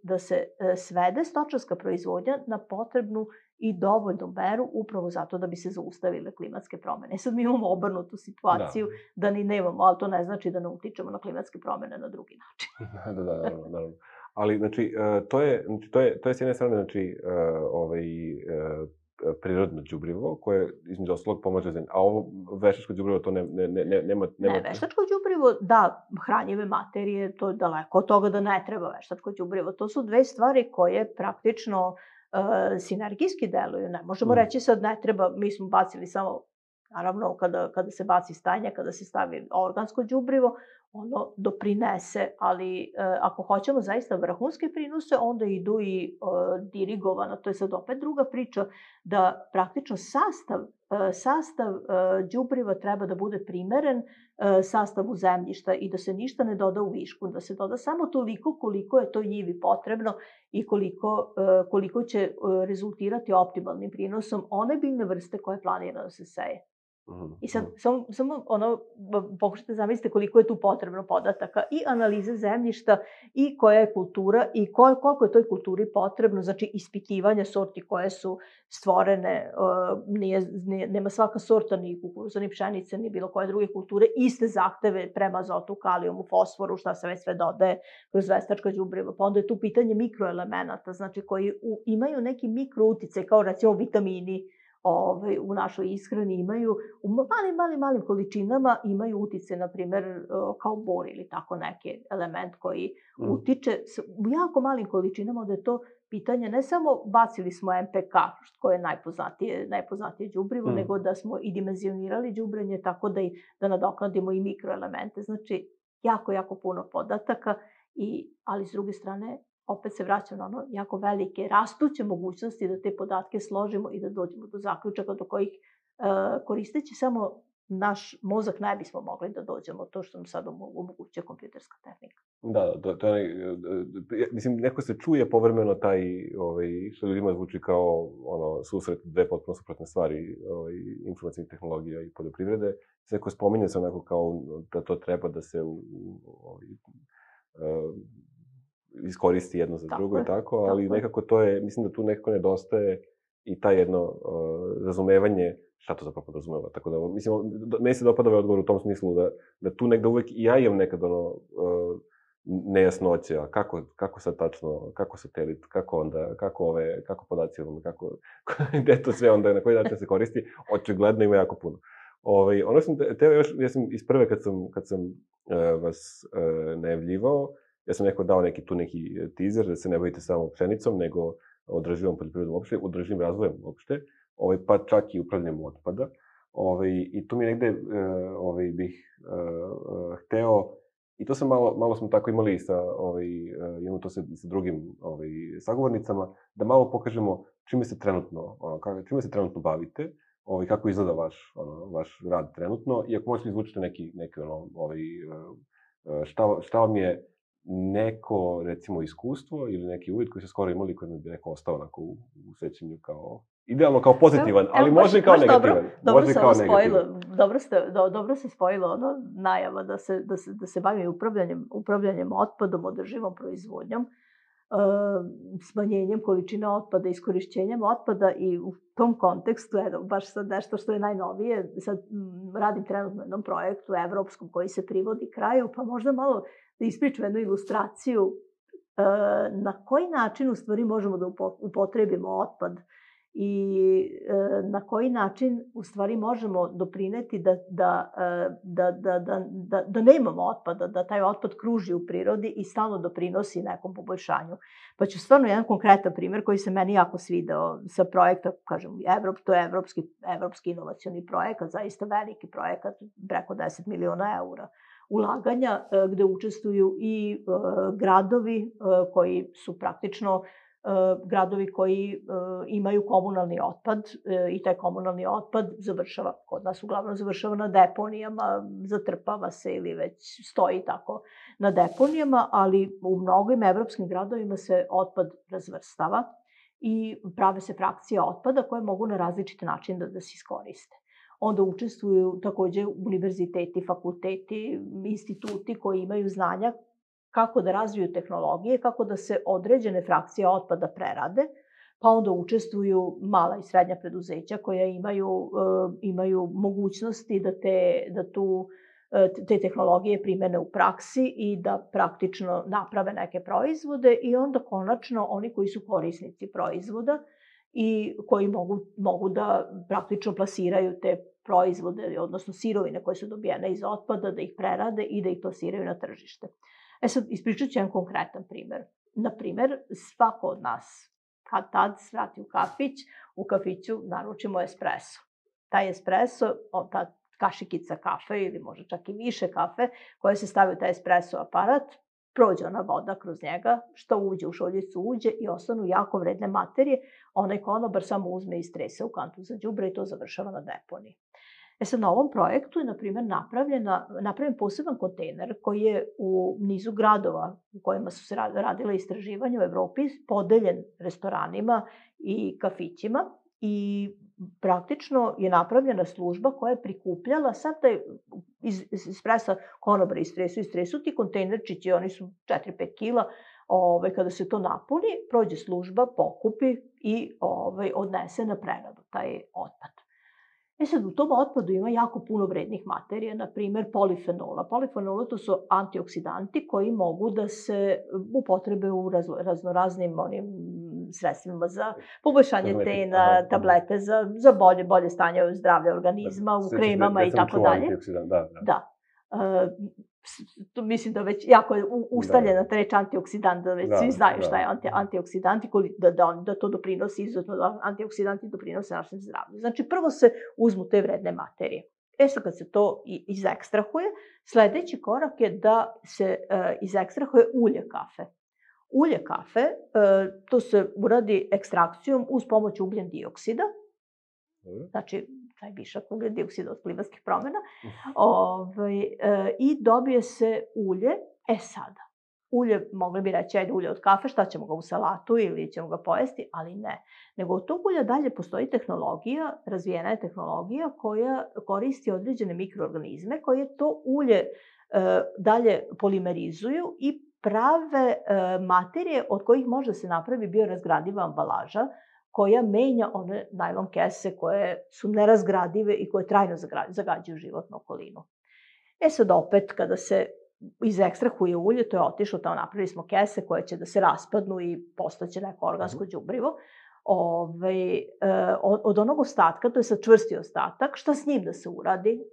da se svede stočarska proizvodnja na potrebnu i dovoljnu meru upravo zato da bi se zaustavile klimatske promene. Sad mi imamo obrnutu situaciju da ni nemamo, ali to ne znači da ne utičemo na klimatske promene na drugi način. Naravno. Ali, znači, to je s jedne strane, znači, prirodno đubrivo, koje između ostalog pomaže zemlji. A ovo veštačko đubrivo, to nema... Ne, veštačko đubrivo, da, hranjive materije, to je daleko od toga da ne treba veštačko đubrivo. To su dve stvari koje praktično sinergijski deluju. Ne možemo reći sad ne treba, mi smo bacili samo, naravno, kada se baci stajnja, kada se stavi organsko đubrivo, ono doprinese, ali ako hoćemo zaista vrhunske prinose, onda idu i dirigovano. To je sad opet druga priča, da praktično sastav đubriva treba da bude primeren sastavu zemljišta i da se ništa ne doda u višku, da se doda samo toliko koliko je to njivi potrebno i koliko će rezultirati optimalnim prinosom one biljne vrste koje planira da se seje. I sad, samo pokušajte zamislite koliko je tu potrebno podataka i analize zemljišta i koja je kultura i koliko je toj kulturi potrebno, znači ispitivanja sorti koje su stvorene, nema svaka sorta ni kukuruza, ni pšenice, ni bilo koje druge kulture, iste zahteve prema azotu, kalijumu, fosforu, šta se već sve dodaje kroz veštačka đubriva. Pa onda je tu pitanje mikroelemenata, znači koji imaju neki mikrouticaj, kao recimo vitamini, u našoj ishrani imaju, u malim količinama imaju utice, na primer, kao bor ili tako neki element koji utiče u jako malim količinama, onda je to pitanje ne samo bacili smo MPK, koje je najpoznatije đubrivo, nego da smo i dimenzionirali đubrenje tako da nadoknadimo i mikroelemente. Znači, jako puno podataka, ali s druge strane, opet se vraćam na ono jako velike rastuće mogućnosti da te podatke složimo i da dođemo do zaključaka do kojih koristeći samo naš mozak ne bismo mogli da dođemo to što nam sad omogućuje kompjuterska tehnika. Da, to je, mislim, neko se čuje povremeno taj, što ljudima zvuči kao susret dve potpuno suprotne stvari, informacijnih tehnologija i poljoprivrede. Neko spominje se onako kao da to treba da se iskoristi jedno za drugo i tako, ali nekako to je, mislim da tu nekako nedostaje i taj jedno razumevanje šta to zapravo podrazumeva. Tako da, mislim, meni se dopada ovaj odgovor u tom smislu da tu negde uvek i ja imam nekad nejasnoće, a kako sad tačno, kako satelit, kako onda, kako podaci, gde to sve onda, na koji način se koristi, očigledno ima jako puno. Ono sam teo još, ja sam iz prve kad sam vas najavljivao, ja sam dao neki teaser da se ne bavite samo pšenicom, nego održivom poljoprivredom uopšte, održivim razvojem uopšte, pa čak i upravljanjem otpada. I tu mi negde bih hteo, i to sam malo smo tako imali imamo to sa drugim sagovornicama, da malo pokažemo čime se trenutno bavite, kako izgleda vaš rad trenutno, i ako možete izvučiti neki šta vam je neko, recimo, iskustvo ili neki uvid koji ste skoro imali, koji bi neko ostao onako u sećanju kao, idealno kao pozitivan, ali može i kao negativan. Dobro se spojilo najava da se bavi upravljanjem otpadom, održivom proizvodnjom, smanjenjem količine otpada, iskorišćenjem otpada, i u tom kontekstu, baš sad nešto što je najnovije, sad radim trenutno na jednom projektu evropskom koji se privodi kraju, pa možda malo da ispričam jednu ilustraciju na koji način u stvari možemo da upotrebimo otpad i na koji način u stvari možemo doprineti da nemamo otpada, da taj otpad kruži u prirodi i stalno doprinosi nekom poboljšanju. Pa ću stvarno jedan konkretan primer koji se meni jako svideo sa projekta, kažem, to je evropski inovacioni projekat, zaista veliki projekat, preko 10 miliona eura ulaganja, gde učestvuju i gradovi koji su praktično gradovi koji imaju komunalni otpad, i taj komunalni otpad kod nas uglavnom završava na deponijama, zatrpava se ili već stoji tako na deponijama, ali u mnogim evropskim gradovima se otpad razvrstava i prave se frakcije otpada koje mogu na različite načine da se iskoriste. onda učestvuju takođe univerziteti, fakulteti, instituti koji imaju znanja kako da razviju tehnologije, kako da se određene frakcije otpada prerade, pa onda učestvuju mala i srednja preduzeća koja imaju mogućnosti da te tehnologije primene u praksi i da praktično naprave neke proizvode i onda konačno oni koji su korisnici proizvoda i koji mogu da praktično plasiraju te proizvode, odnosno sirovine koje su dobijene iz otpada, da ih prerade i da ih plasiraju na tržište. Sad, ispričat ću jedan konkretan primer. Naprimer, svako od nas, kad tad svrati u kafić, u kafiću naručimo espresso. Taj espresso, ta kašikica kafe ili možda čak i više kafe, koja se stavi u taj espresso aparat, prođe ona voda kroz njega, što uđe u šoljicu uđe i ostanu jako vredne materije, onaj konobar samo uzme i strese u kantu za đubre i to završava na deponiji. Sad, na ovom projektu je, na primjer, napravljen poseban kontejner koji je u nizu gradova u kojima su se radile istraživanja u Evropi podeljen restoranima i kafićima i praktično je napravljena služba koja je prikupljala sad taj iz espressa konobar istresu ti kontejnerčići, oni su 4-5 kila, kada se to napuni, prođe služba, pokupi i odnese na preradu taj otpad. Sad, u tom otpadu ima jako puno vrednih materija, na primjer polifenola. Polifenola to su antioksidanti koji mogu da se upotrebe u raznoraznim sredstvima za poboljšanje tena, tablete za bolje stanje zdravlja organizma, u kremama i tako dalje. Da. Mislim da već jako je ustaljena ta reč antioksidan, da već svi znaju šta je antioksidanti, da to doprinosi, izuzetno da antioksidanti doprinose našem zdravlju. Znači, prvo se uzmu te vredne materije. Sad, kad se to izekstrahuje, sledeći korak je da se izekstrahuje ulje kafe. Ulje kafe, to se uradi ekstrakcijom uz pomoć ugljen dioksida, znači, taj višak ugljen dioksida od klimatskih promena, i dobije se ulje. Sada, ulje, mogli bi reći, ajde ulje od kafe, šta ćemo ga u salatu ili ćemo ga pojesti, ali ne. Nego od tog ulja dalje postoji tehnologija, razvijena je tehnologija koja koristi određene mikroorganizme koje to ulje dalje polimerizuju i prave materije od kojih može se napravi biorazgradiva ambalaža koja menja one najlon kese koje su nerazgradive i koje trajno zagađuju životnu okolinu. Sad opet, kada se izekstrahuje ulje, to je otišlo, tamo napravili smo kese koje će da se raspadnu i postaće neko organsko đubrivo. Od onog ostatka, to je sad čvrsti ostatak, šta s njim da se uradi?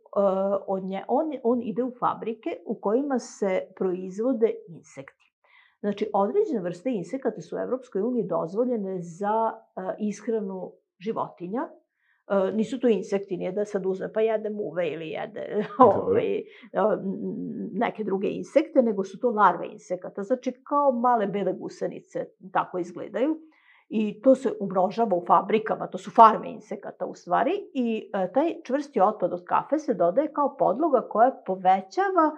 On ide u fabrike u kojima se proizvode insekti. Znači, određene vrste insekata su u Evropskoj uniji dozvoljene za ishranu životinja. Nisu to insekti, nije da sad uzme pa jede muve ili jede neke druge insekte, nego su to larve insekata. Znači, kao male bele gusenice, tako izgledaju. I to se umnožava u fabrikama, to su farme insekata u stvari. I taj čvrsti otpad od kafe se dodaje kao podloga koja povećava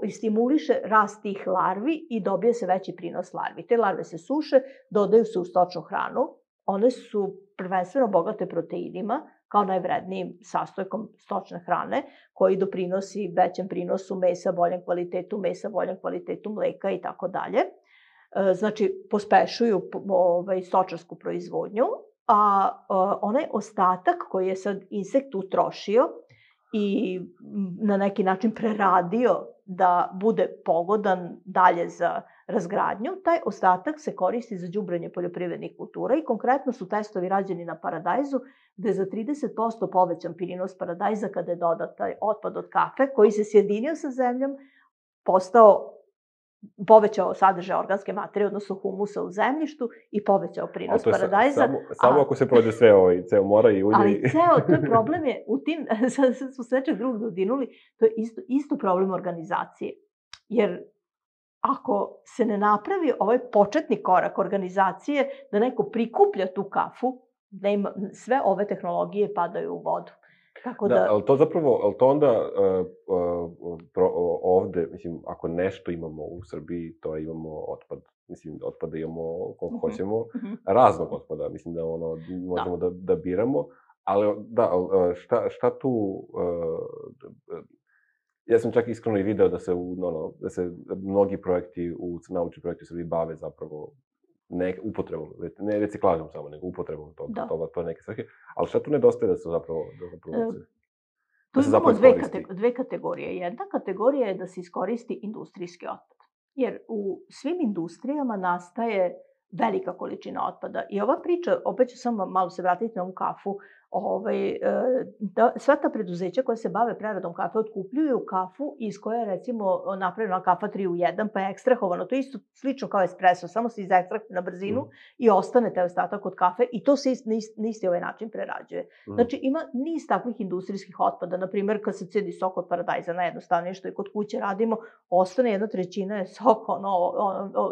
i stimuliše rast tih larvi i dobije se veći prinos larvi. Te larve se suše, dodaju se u stočnu hranu. One su prvenstveno bogate proteinima, kao najvrednijim sastojkom stočne hrane, koji doprinosi većem prinosu mesa, boljem kvalitetu mesa, boljem kvalitetu mleka i tako dalje. Znači, pospešuju stočarsku proizvodnju, a onaj ostatak koji je sad insekt utrošio i na neki način preradio da bude pogodan dalje za razgradnju, taj ostatak se koristi za đubrenje poljoprivrednih kultura i konkretno su testovi rađeni na paradajzu, gde je za 30% povećan prinos paradajza kada je dodat taj otpad od kafe, koji se sjedinio sa zemljom, povećao sadržaj organske materije, odnosno humusa u zemljištu i povećao prinos paradajza. Samo ako se prođe ceo mora i ulje. Ali to je problem je, u tim, sad smo s nečeg drugog dodirnuli, to je isto problem organizacije. Jer ako se ne napravi ovaj početni korak organizacije, da neko prikuplja tu kafu, sve ove tehnologije padaju u vodu. Da, ali to zapravo, ali to onda ovde, mislim, ako nešto imamo u Srbiji, to imamo otpad. Mislim, otpada imamo koliko hoćemo, raznog otpada, mislim da možemo da biramo, Ali, da, šta tu... Ja sam čak iskreno i video da se mnogi projekti, naučni projekti u Srbiji bave zapravo upotrebom, ne reciklažom samo, nego upotrebom to neke svrhe. Ali šta tu nedostaje da se zapravo Tu imamo dve kategorije. Jedna kategorija je da se iskoristi industrijski otpad. Jer u svim industrijama nastaje velika količina otpada. I ova priča, opet ću samo malo se vratiti na ovu kafu, sva ta preduzeća koja se bave preradom kafe otkupljuju kafu iz koje je recimo napravljena kafa 3 u 1, pa je ekstrahovano. To je isto slično kao espresso, samo se izekstrahuje na brzinu i ostane taj ostatak od kafe i to se na isti ovaj način prerađuje. Znači ima niz takvih industrijskih otpada. Naprimer, kad se cedi sok od paradajza, najjednostavnije što i kod kuće radimo, ostane 1/3 je sok,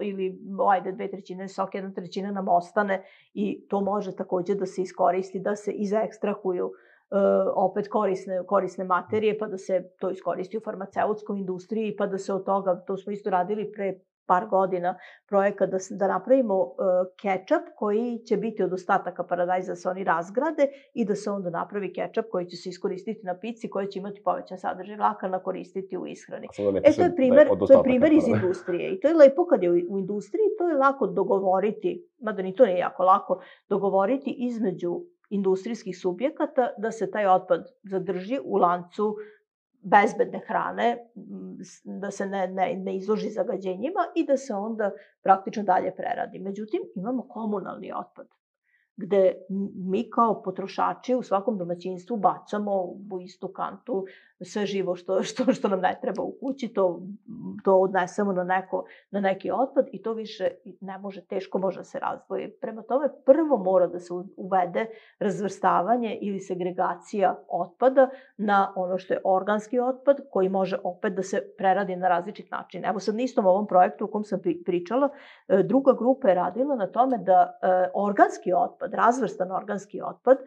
ili ajde 2/3 je sok, 1/3 nam ostane i to može takođe da se iskoristi, da se ekstrahuju opet korisne materije, pa da se to iskoristi u farmaceutskoj industriji, pa da se od toga, to smo isto radili pre par godina, projekat da napravimo kečap koji će biti od ostataka paradajza, da se oni razgrade i da se onda napravi kečap koji će se iskoristiti na pici, koji će imati povećan sadržaj vlakana, koristiti u ishrani. To je primer iz industrije i to je lepo kad je u industriji, to je lako dogovoriti, mada ni to nije jako lako, dogovoriti između industrijskih subjekata da se taj otpad zadrži u lancu bezbedne hrane, da se ne izloži zagađenjima i da se onda praktično dalje preradi. Međutim, imamo komunalni otpad, gde mi kao potrošači u svakom domaćinstvu bacamo u istu kantu sve živo što nam ne treba u kući, to odnesemo na neki otpad i to više ne može, teško može da se razdvoji. Prema tome, prvo mora da se uvede razvrstavanje ili segregacija otpada na ono što je organski otpad, koji može opet da se preradi na različit način. Evo sad na istom ovom projektu o kom sam pričala, druga grupa je radila na tome da organski otpad, razvrstan organski otpad,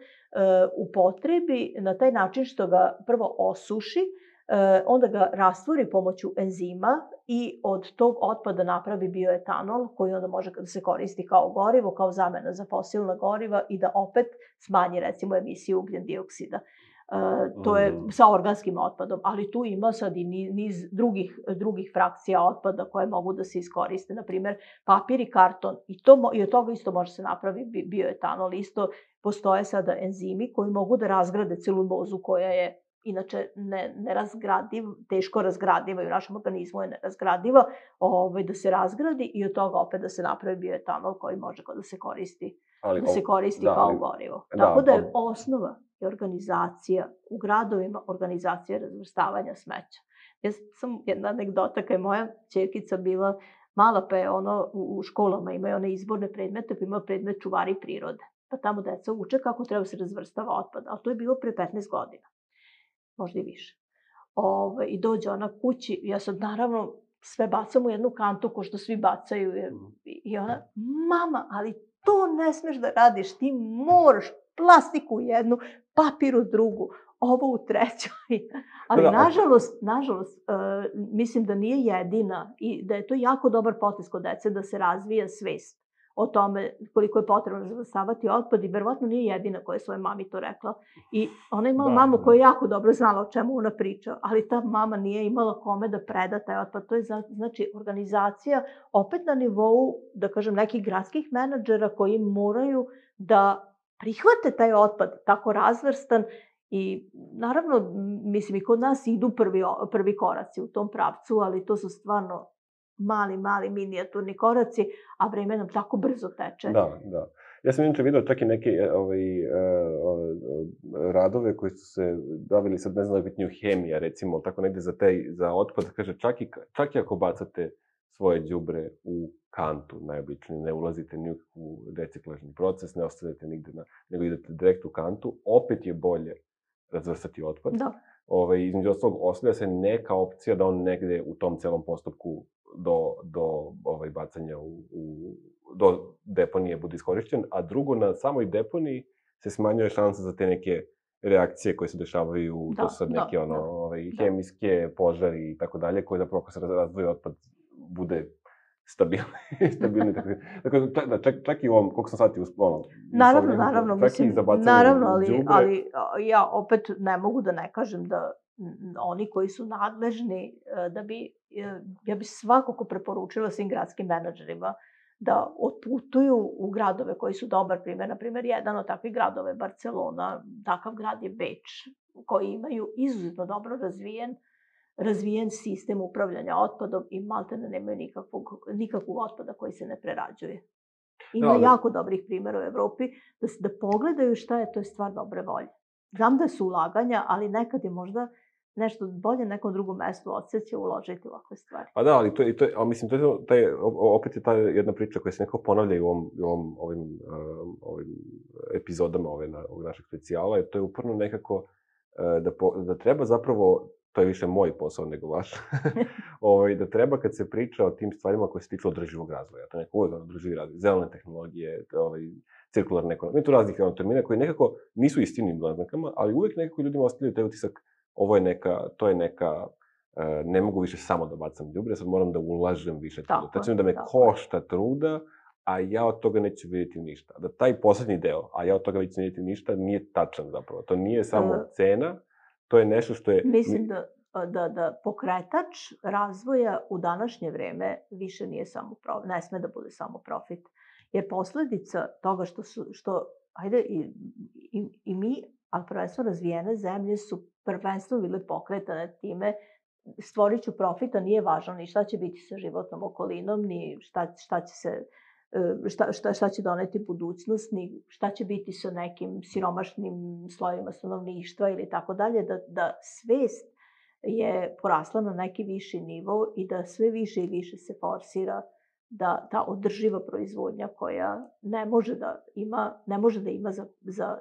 upotrebi na taj način što ga prvo osuši, onda ga rastvori pomoću enzima i od tog otpada napravi bioetanol koji onda može da se koristi kao gorivo, kao zamena za fosilna goriva i da opet smanji recimo emisiju ugljen dioksida. To je sa organskim otpadom, ali tu ima sad i niz drugih frakcija otpada koje mogu da se iskoriste, na primer papir i karton i od toga isto može se napraviti bioetanol. Isto postoje sada enzimi koji mogu da razgrade celulozu koja je inače teško razgradiva i u našem organizmu je nerazgradiva, da se razgradi i od toga opet da se napravi bioetanol koji može da se koristi kao gorivo. Tako da je osnova je organizacija u gradovima, organizacija razvrstavanja smeća. Jedna anegdota, kad je moja ćerkica bila mala, pa je u školama imaju one izborne predmete, pa ima predmet čuvari prirode. Pa tamo deca uče kako treba se razvrstava otpad, ali to je bilo pre 15 godina, možda i više. I dođe ona kući, ja sad naravno sve bacam u jednu kantu ko što svi bacaju i ona, mama, ali to ne smeš da radiš, ti moraš plastiku u jednu, papir u drugu, ovo u treću. Ali nažalost, mislim da nije jedina i da je to jako dobar potez kod dece da se razvija svest o tome koliko je potrebno razvrstavati otpad i verovatno nije jedina koja je svojoj mami to rekla. I ona je imala mamu koja je jako dobro znala o čemu ona priča, ali ta mama nije imala kome da preda taj otpad. To je znači organizacija opet na nivou, da kažem, nekih gradskih menadžera koji moraju da prihvate taj otpad tako razvrstan i naravno, mislim i kod nas idu prvi koraci u tom pravcu, ali to su stvarno mali minijaturni koraci, a vreme nam tako brzo teče. Da. Ja sam inače vidio čak i neke radove koji su se bavili sad, ne znam, bitniju hemija, recimo, tako negde za otpad, kaže, čak i ako bacate svoje đubre u kantu, najobičnije, ne ulazite ni u reciklažni proces, ne ostavljate nigde, nego idete direkt u kantu, opet je bolje razvrstati otpad. Da. Između ostalog, ostavlja se neka opcija da on negde u tom celom postupku do bacanja do deponije bude iskorišćen, a drugo, na samoj deponiji se smanjuje šansa za te neke reakcije koje se dešavaju, to su sad neke hemijske, požari i tako dalje, koji zapravo ako se razdvoji otpad bude stabilni. Dakle, čak i u ovom, koliko sam shvatio, Naravno, čak i za bacanje naravno, u đubre. ali ja opet ne mogu da ne kažem da oni koji su nadležni da bi, ja bih svakako preporučila svim gradskim menadžerima da otputuju u gradove koji su dobar primer. Naprimjer, jedan od takvih gradova je Barcelona, takav grad je Beč, koji imaju izuzetno dobro razvijen sistem upravljanja otpadom i maltene nemaju nikakvog otpada koji se ne prerađuje. Ima jako dobrih primjera u Evropi da pogledaju šta je, to je stvar dobre volje. Znam da su ulaganja, ali nekad je možda nešto bolje nekom drugom mestu odsjeće uložiti u ovakve stvari. Pa da, ali mislim, opet je ta jedna priča koja se nekako ponavlja i u ovim epizodama ovog našeg specijala, to je uporno nekako da treba zapravo, to je više moj posao nego vaš, da treba kad se priča o tim stvarima koje se tiču održivog razvoja, to je neko uvijek održivi razvoj, zelene tehnologije, cirkularne ekonomije, tu raznih termina koji nekako nisu istinim naznakama, ali uvijek nekako ljudima ostavljaju taj utisak, to je neka, ne mogu više samo da bacam đubre, sad moram da ulažem više truda. To će da me košta truda, a ja od toga neću vidjeti ništa. Da taj poslednji deo, a ja od toga neću vidjeti ništa, nije tačan zapravo. To nije samo cena, to je nešto što je... Mislim da pokretač razvoja u današnje vreme više nije samo profit, ne sme da bude samo profit. Jer posledica toga ajde, i mi, ali prvenstveno razvijene zemlje su prvenstveno bile pokretane time stvorit ću profita, nije važno ni šta će biti sa životnom okolinom, ni šta će doneti budućnost, ni šta će biti sa nekim siromašnim slojima stanovništva ili tako dalje, da svest je porasla na neki viši nivo i da sve više i više se forsira da ta održiva proizvodnja koja ne može da ima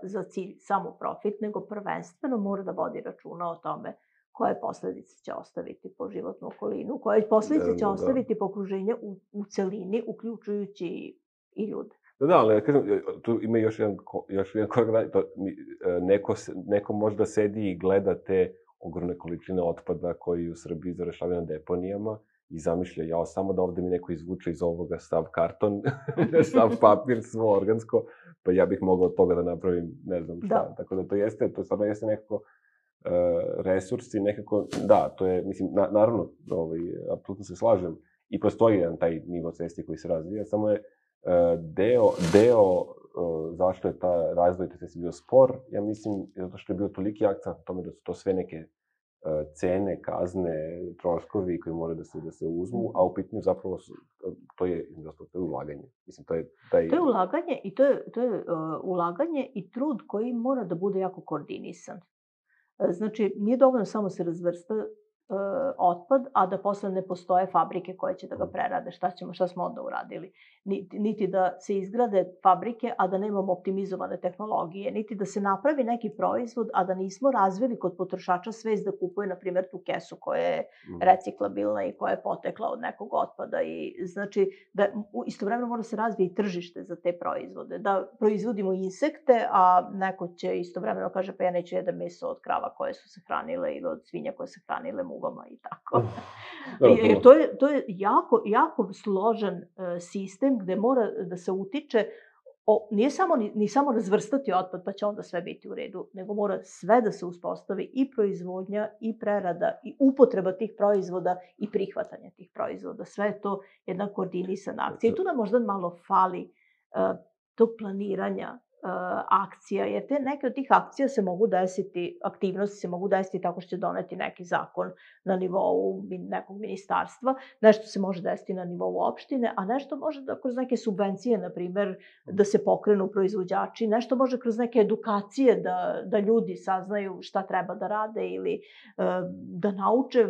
za cilj samo profit, nego prvenstveno mora da vodi računa o tome koje posledice će ostaviti po životnu okolinu, koje posledice će ostaviti po okruženje u celini, uključujući i ljude. Da, ali kažem, tu ima još jedan korak, neko možda sedi i gleda te ogromne količine otpada koji u Srbiji završavaju na deponijama i zamišlja, samo da ovde mi neko izvuče iz ovoga sav karton, sav papir, svo organsko, pa ja bih mogao od toga da napravim ne znam šta. Tako da to stvarno jeste nekako resursi, nekako, da, to je, mislim, naravno, apsolutno se slažem i postoji jedan taj nivo svesti koji se razvija, samo je deo zašto je ta razvoj te svesti bio spor, ja mislim, zato što je bio toliki akcent na tome da su to sve neke cene, kazne, troškovi koji moraju da se uzmu, a u pitanju zapravo to je ulaganje. Mislim, to je taj... To je ulaganje i to je ulaganje i trud koji mora da bude jako koordinisan. Znači, nije dovoljno samo se razvrsta otpad, a da posle ne postoje fabrike koje će da ga prerade. Šta smo onda uradili? Niti da se izgrade fabrike, a da nemamo optimizovane tehnologije, niti da se napravi neki proizvod, a da nismo razvili kod potrošača svest da kupuje, na primjer, tu kesu koja je reciklabilna i koja je potekla od nekog otpada. I znači, da istovremeno mora se razvije i tržište za te proizvode. Da proizvodimo insekte, a neko će istovremeno kaže, pa ja neću jedan meso od krava koje su se hranile ili od svinja koje se hranile mugama i tako. To je jako složen sistem gde mora da se utiče, nije samo razvrstati otpad pa će onda sve biti u redu, nego mora sve da se uspostavi i proizvodnja, i prerada, i upotreba tih proizvoda, i prihvatanje tih proizvoda. Sve je to jedna koordinisana akcija. I tu nam možda malo fali tog planiranja akcija, jer neke od tih akcija se mogu desiti, aktivnosti se mogu desiti tako što će doneti neki zakon na nivou nekog ministarstva, nešto se može desiti na nivou opštine, a nešto može da kroz neke subvencije, na primer, da se pokrenu proizvođači, nešto može kroz neke edukacije da ljudi saznaju šta treba da rade ili da nauče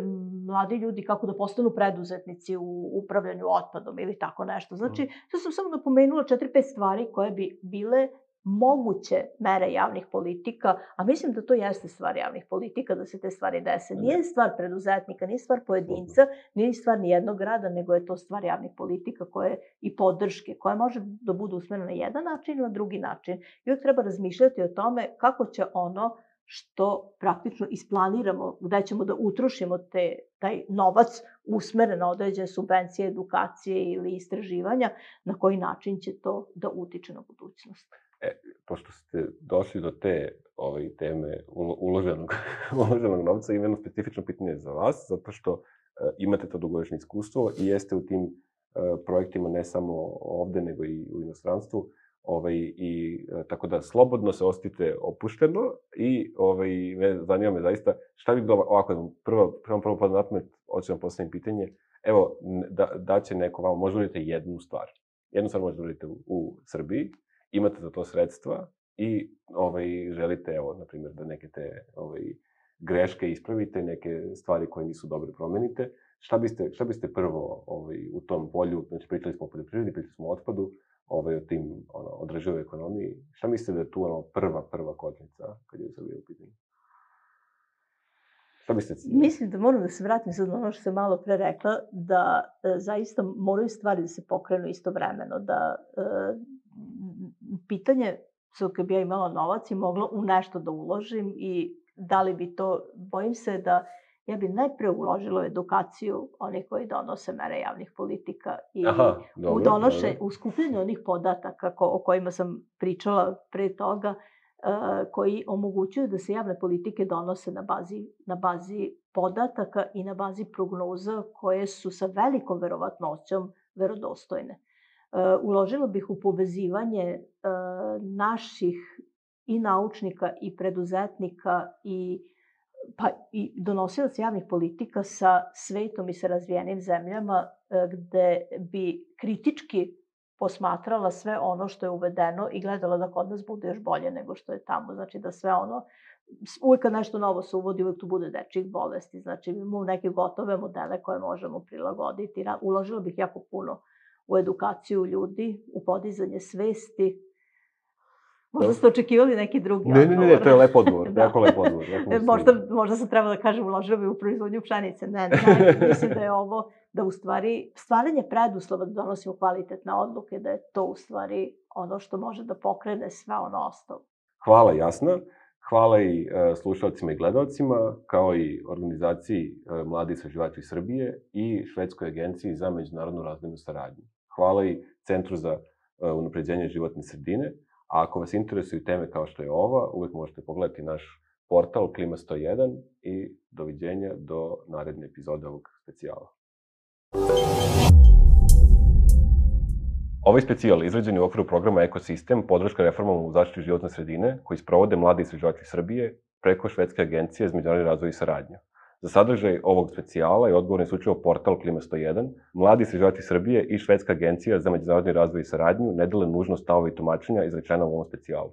mladi ljudi kako da postanu preduzetnici u upravljanju otpadom ili tako nešto. Znači, to sam samo napomenula 4-5 stvari koje bi bile moguće mere javnih politika, a mislim da to jeste stvar javnih politika, da se te stvari dese. Nije stvar preduzetnika, nije stvar pojedinca, nije stvar ni jednog grada, nego je to stvar javnih politika i podrške, koja može da budu usmerena na jedan način ili na drugi način. I uvijek treba razmišljati o tome kako će ono što praktično isplaniramo gde ćemo da utrošimo taj novac usmeren na određene subvencije, edukacije ili istraživanja, na koji način će to da utiče na budućnost. Pošto ste došli do te teme uloženog novca, ima jedno specifično pitanje za vas, zato što imate to dugogodišnje iskustvo i jeste u tim projektima ne samo ovde, nego i u inostranstvu. Tako da slobodno se osjetite opušteno i zanima me zaista šta bi bilo ovako, prvo podnapamet, hoću vam postavim pitanje, evo, da će neko vam, možda uradite jednu stvar možda uradite u Srbiji, imate za to sredstva i želite, evo, na primjer, da neke te greške ispravite, neke stvari koje nisu dobre promenite, šta biste prvo u tom polju, znači pričali smo o poljoprivredi, pričali smo o otpadu, o tim održivoj ekonomiji, šta mislite da je tu prva kočnica kad je Srbija u pitanju? Šta biste... Mislim da moram da se vratim sad na ono što sam malo pre rekla, da zaista moraju stvari da se pokrenu istovremeno, da pitanje, kad bi ja imala novac i mogla u nešto da uložim i da li bi to, bojim se da ja bi najpre uložila u edukaciju onih koji donose mere javnih politika i u skupljenju onih podataka o kojima sam pričala pre toga, koji omogućuju da se javne politike donose na bazi podataka i na bazi prognoza koje su sa velikom verovatnoćom verodostojne. Uložila bih u povezivanje naših i naučnika i preduzetnika i donosilaca javnih politika sa svetom i sa razvijenim zemljama, gde bi kritički posmatrala sve ono što je uvedeno i gledala da kod nas bude još bolje nego što je tamo. Znači da sve ono, uvijek kad nešto novo se uvodi, uvijek tu bude dečjih bolesti. Znači imamo neke gotove modele koje možemo prilagoditi. Uložila bih jako puno u edukaciju ljudi, u podizanje svesti. Možda ste očekivali neki drugi odgovor. Ne, to je lep odgovor, jako lep odgovor. Možda sam trebala da kažem uložila bih u proizvodnju pšenice. Ne, mislim da je ovo, da u stvari stvaranje preduslova da donosimo kvalitetne odluke, da je to u stvari ono što može da pokrene sve ono ostalo. Hvala, Jasna. Hvala i slušalcima i gledalcima, kao i organizaciji Mladi istraživači Srbije i Švedskoj agenciji za međunarodnu razvojnu saradnju. Hvala i Centru za unapređenje životne sredine. A ako vas interesuju teme kao što je ova, uvek možete pogledati naš portal Klima 101 i doviđenja do naredne epizode ovog specijala. Ovaj specijal izrađen je u okviru programa Ekosistem, podrška reformama u zaštiti životne sredine, koji sprovode Mladi istraživači Srbije preko Švedske agencije za međunarodni razvoj i saradnju. Za sadržaj ovog specijala je odgovoran isključivo portal Klima 101, Mladi istraživači Srbije i Švedska agencija za međunarodni razvoj i saradnju ne dele nužno stavove i tumačenja izrečena u ovom specijalu.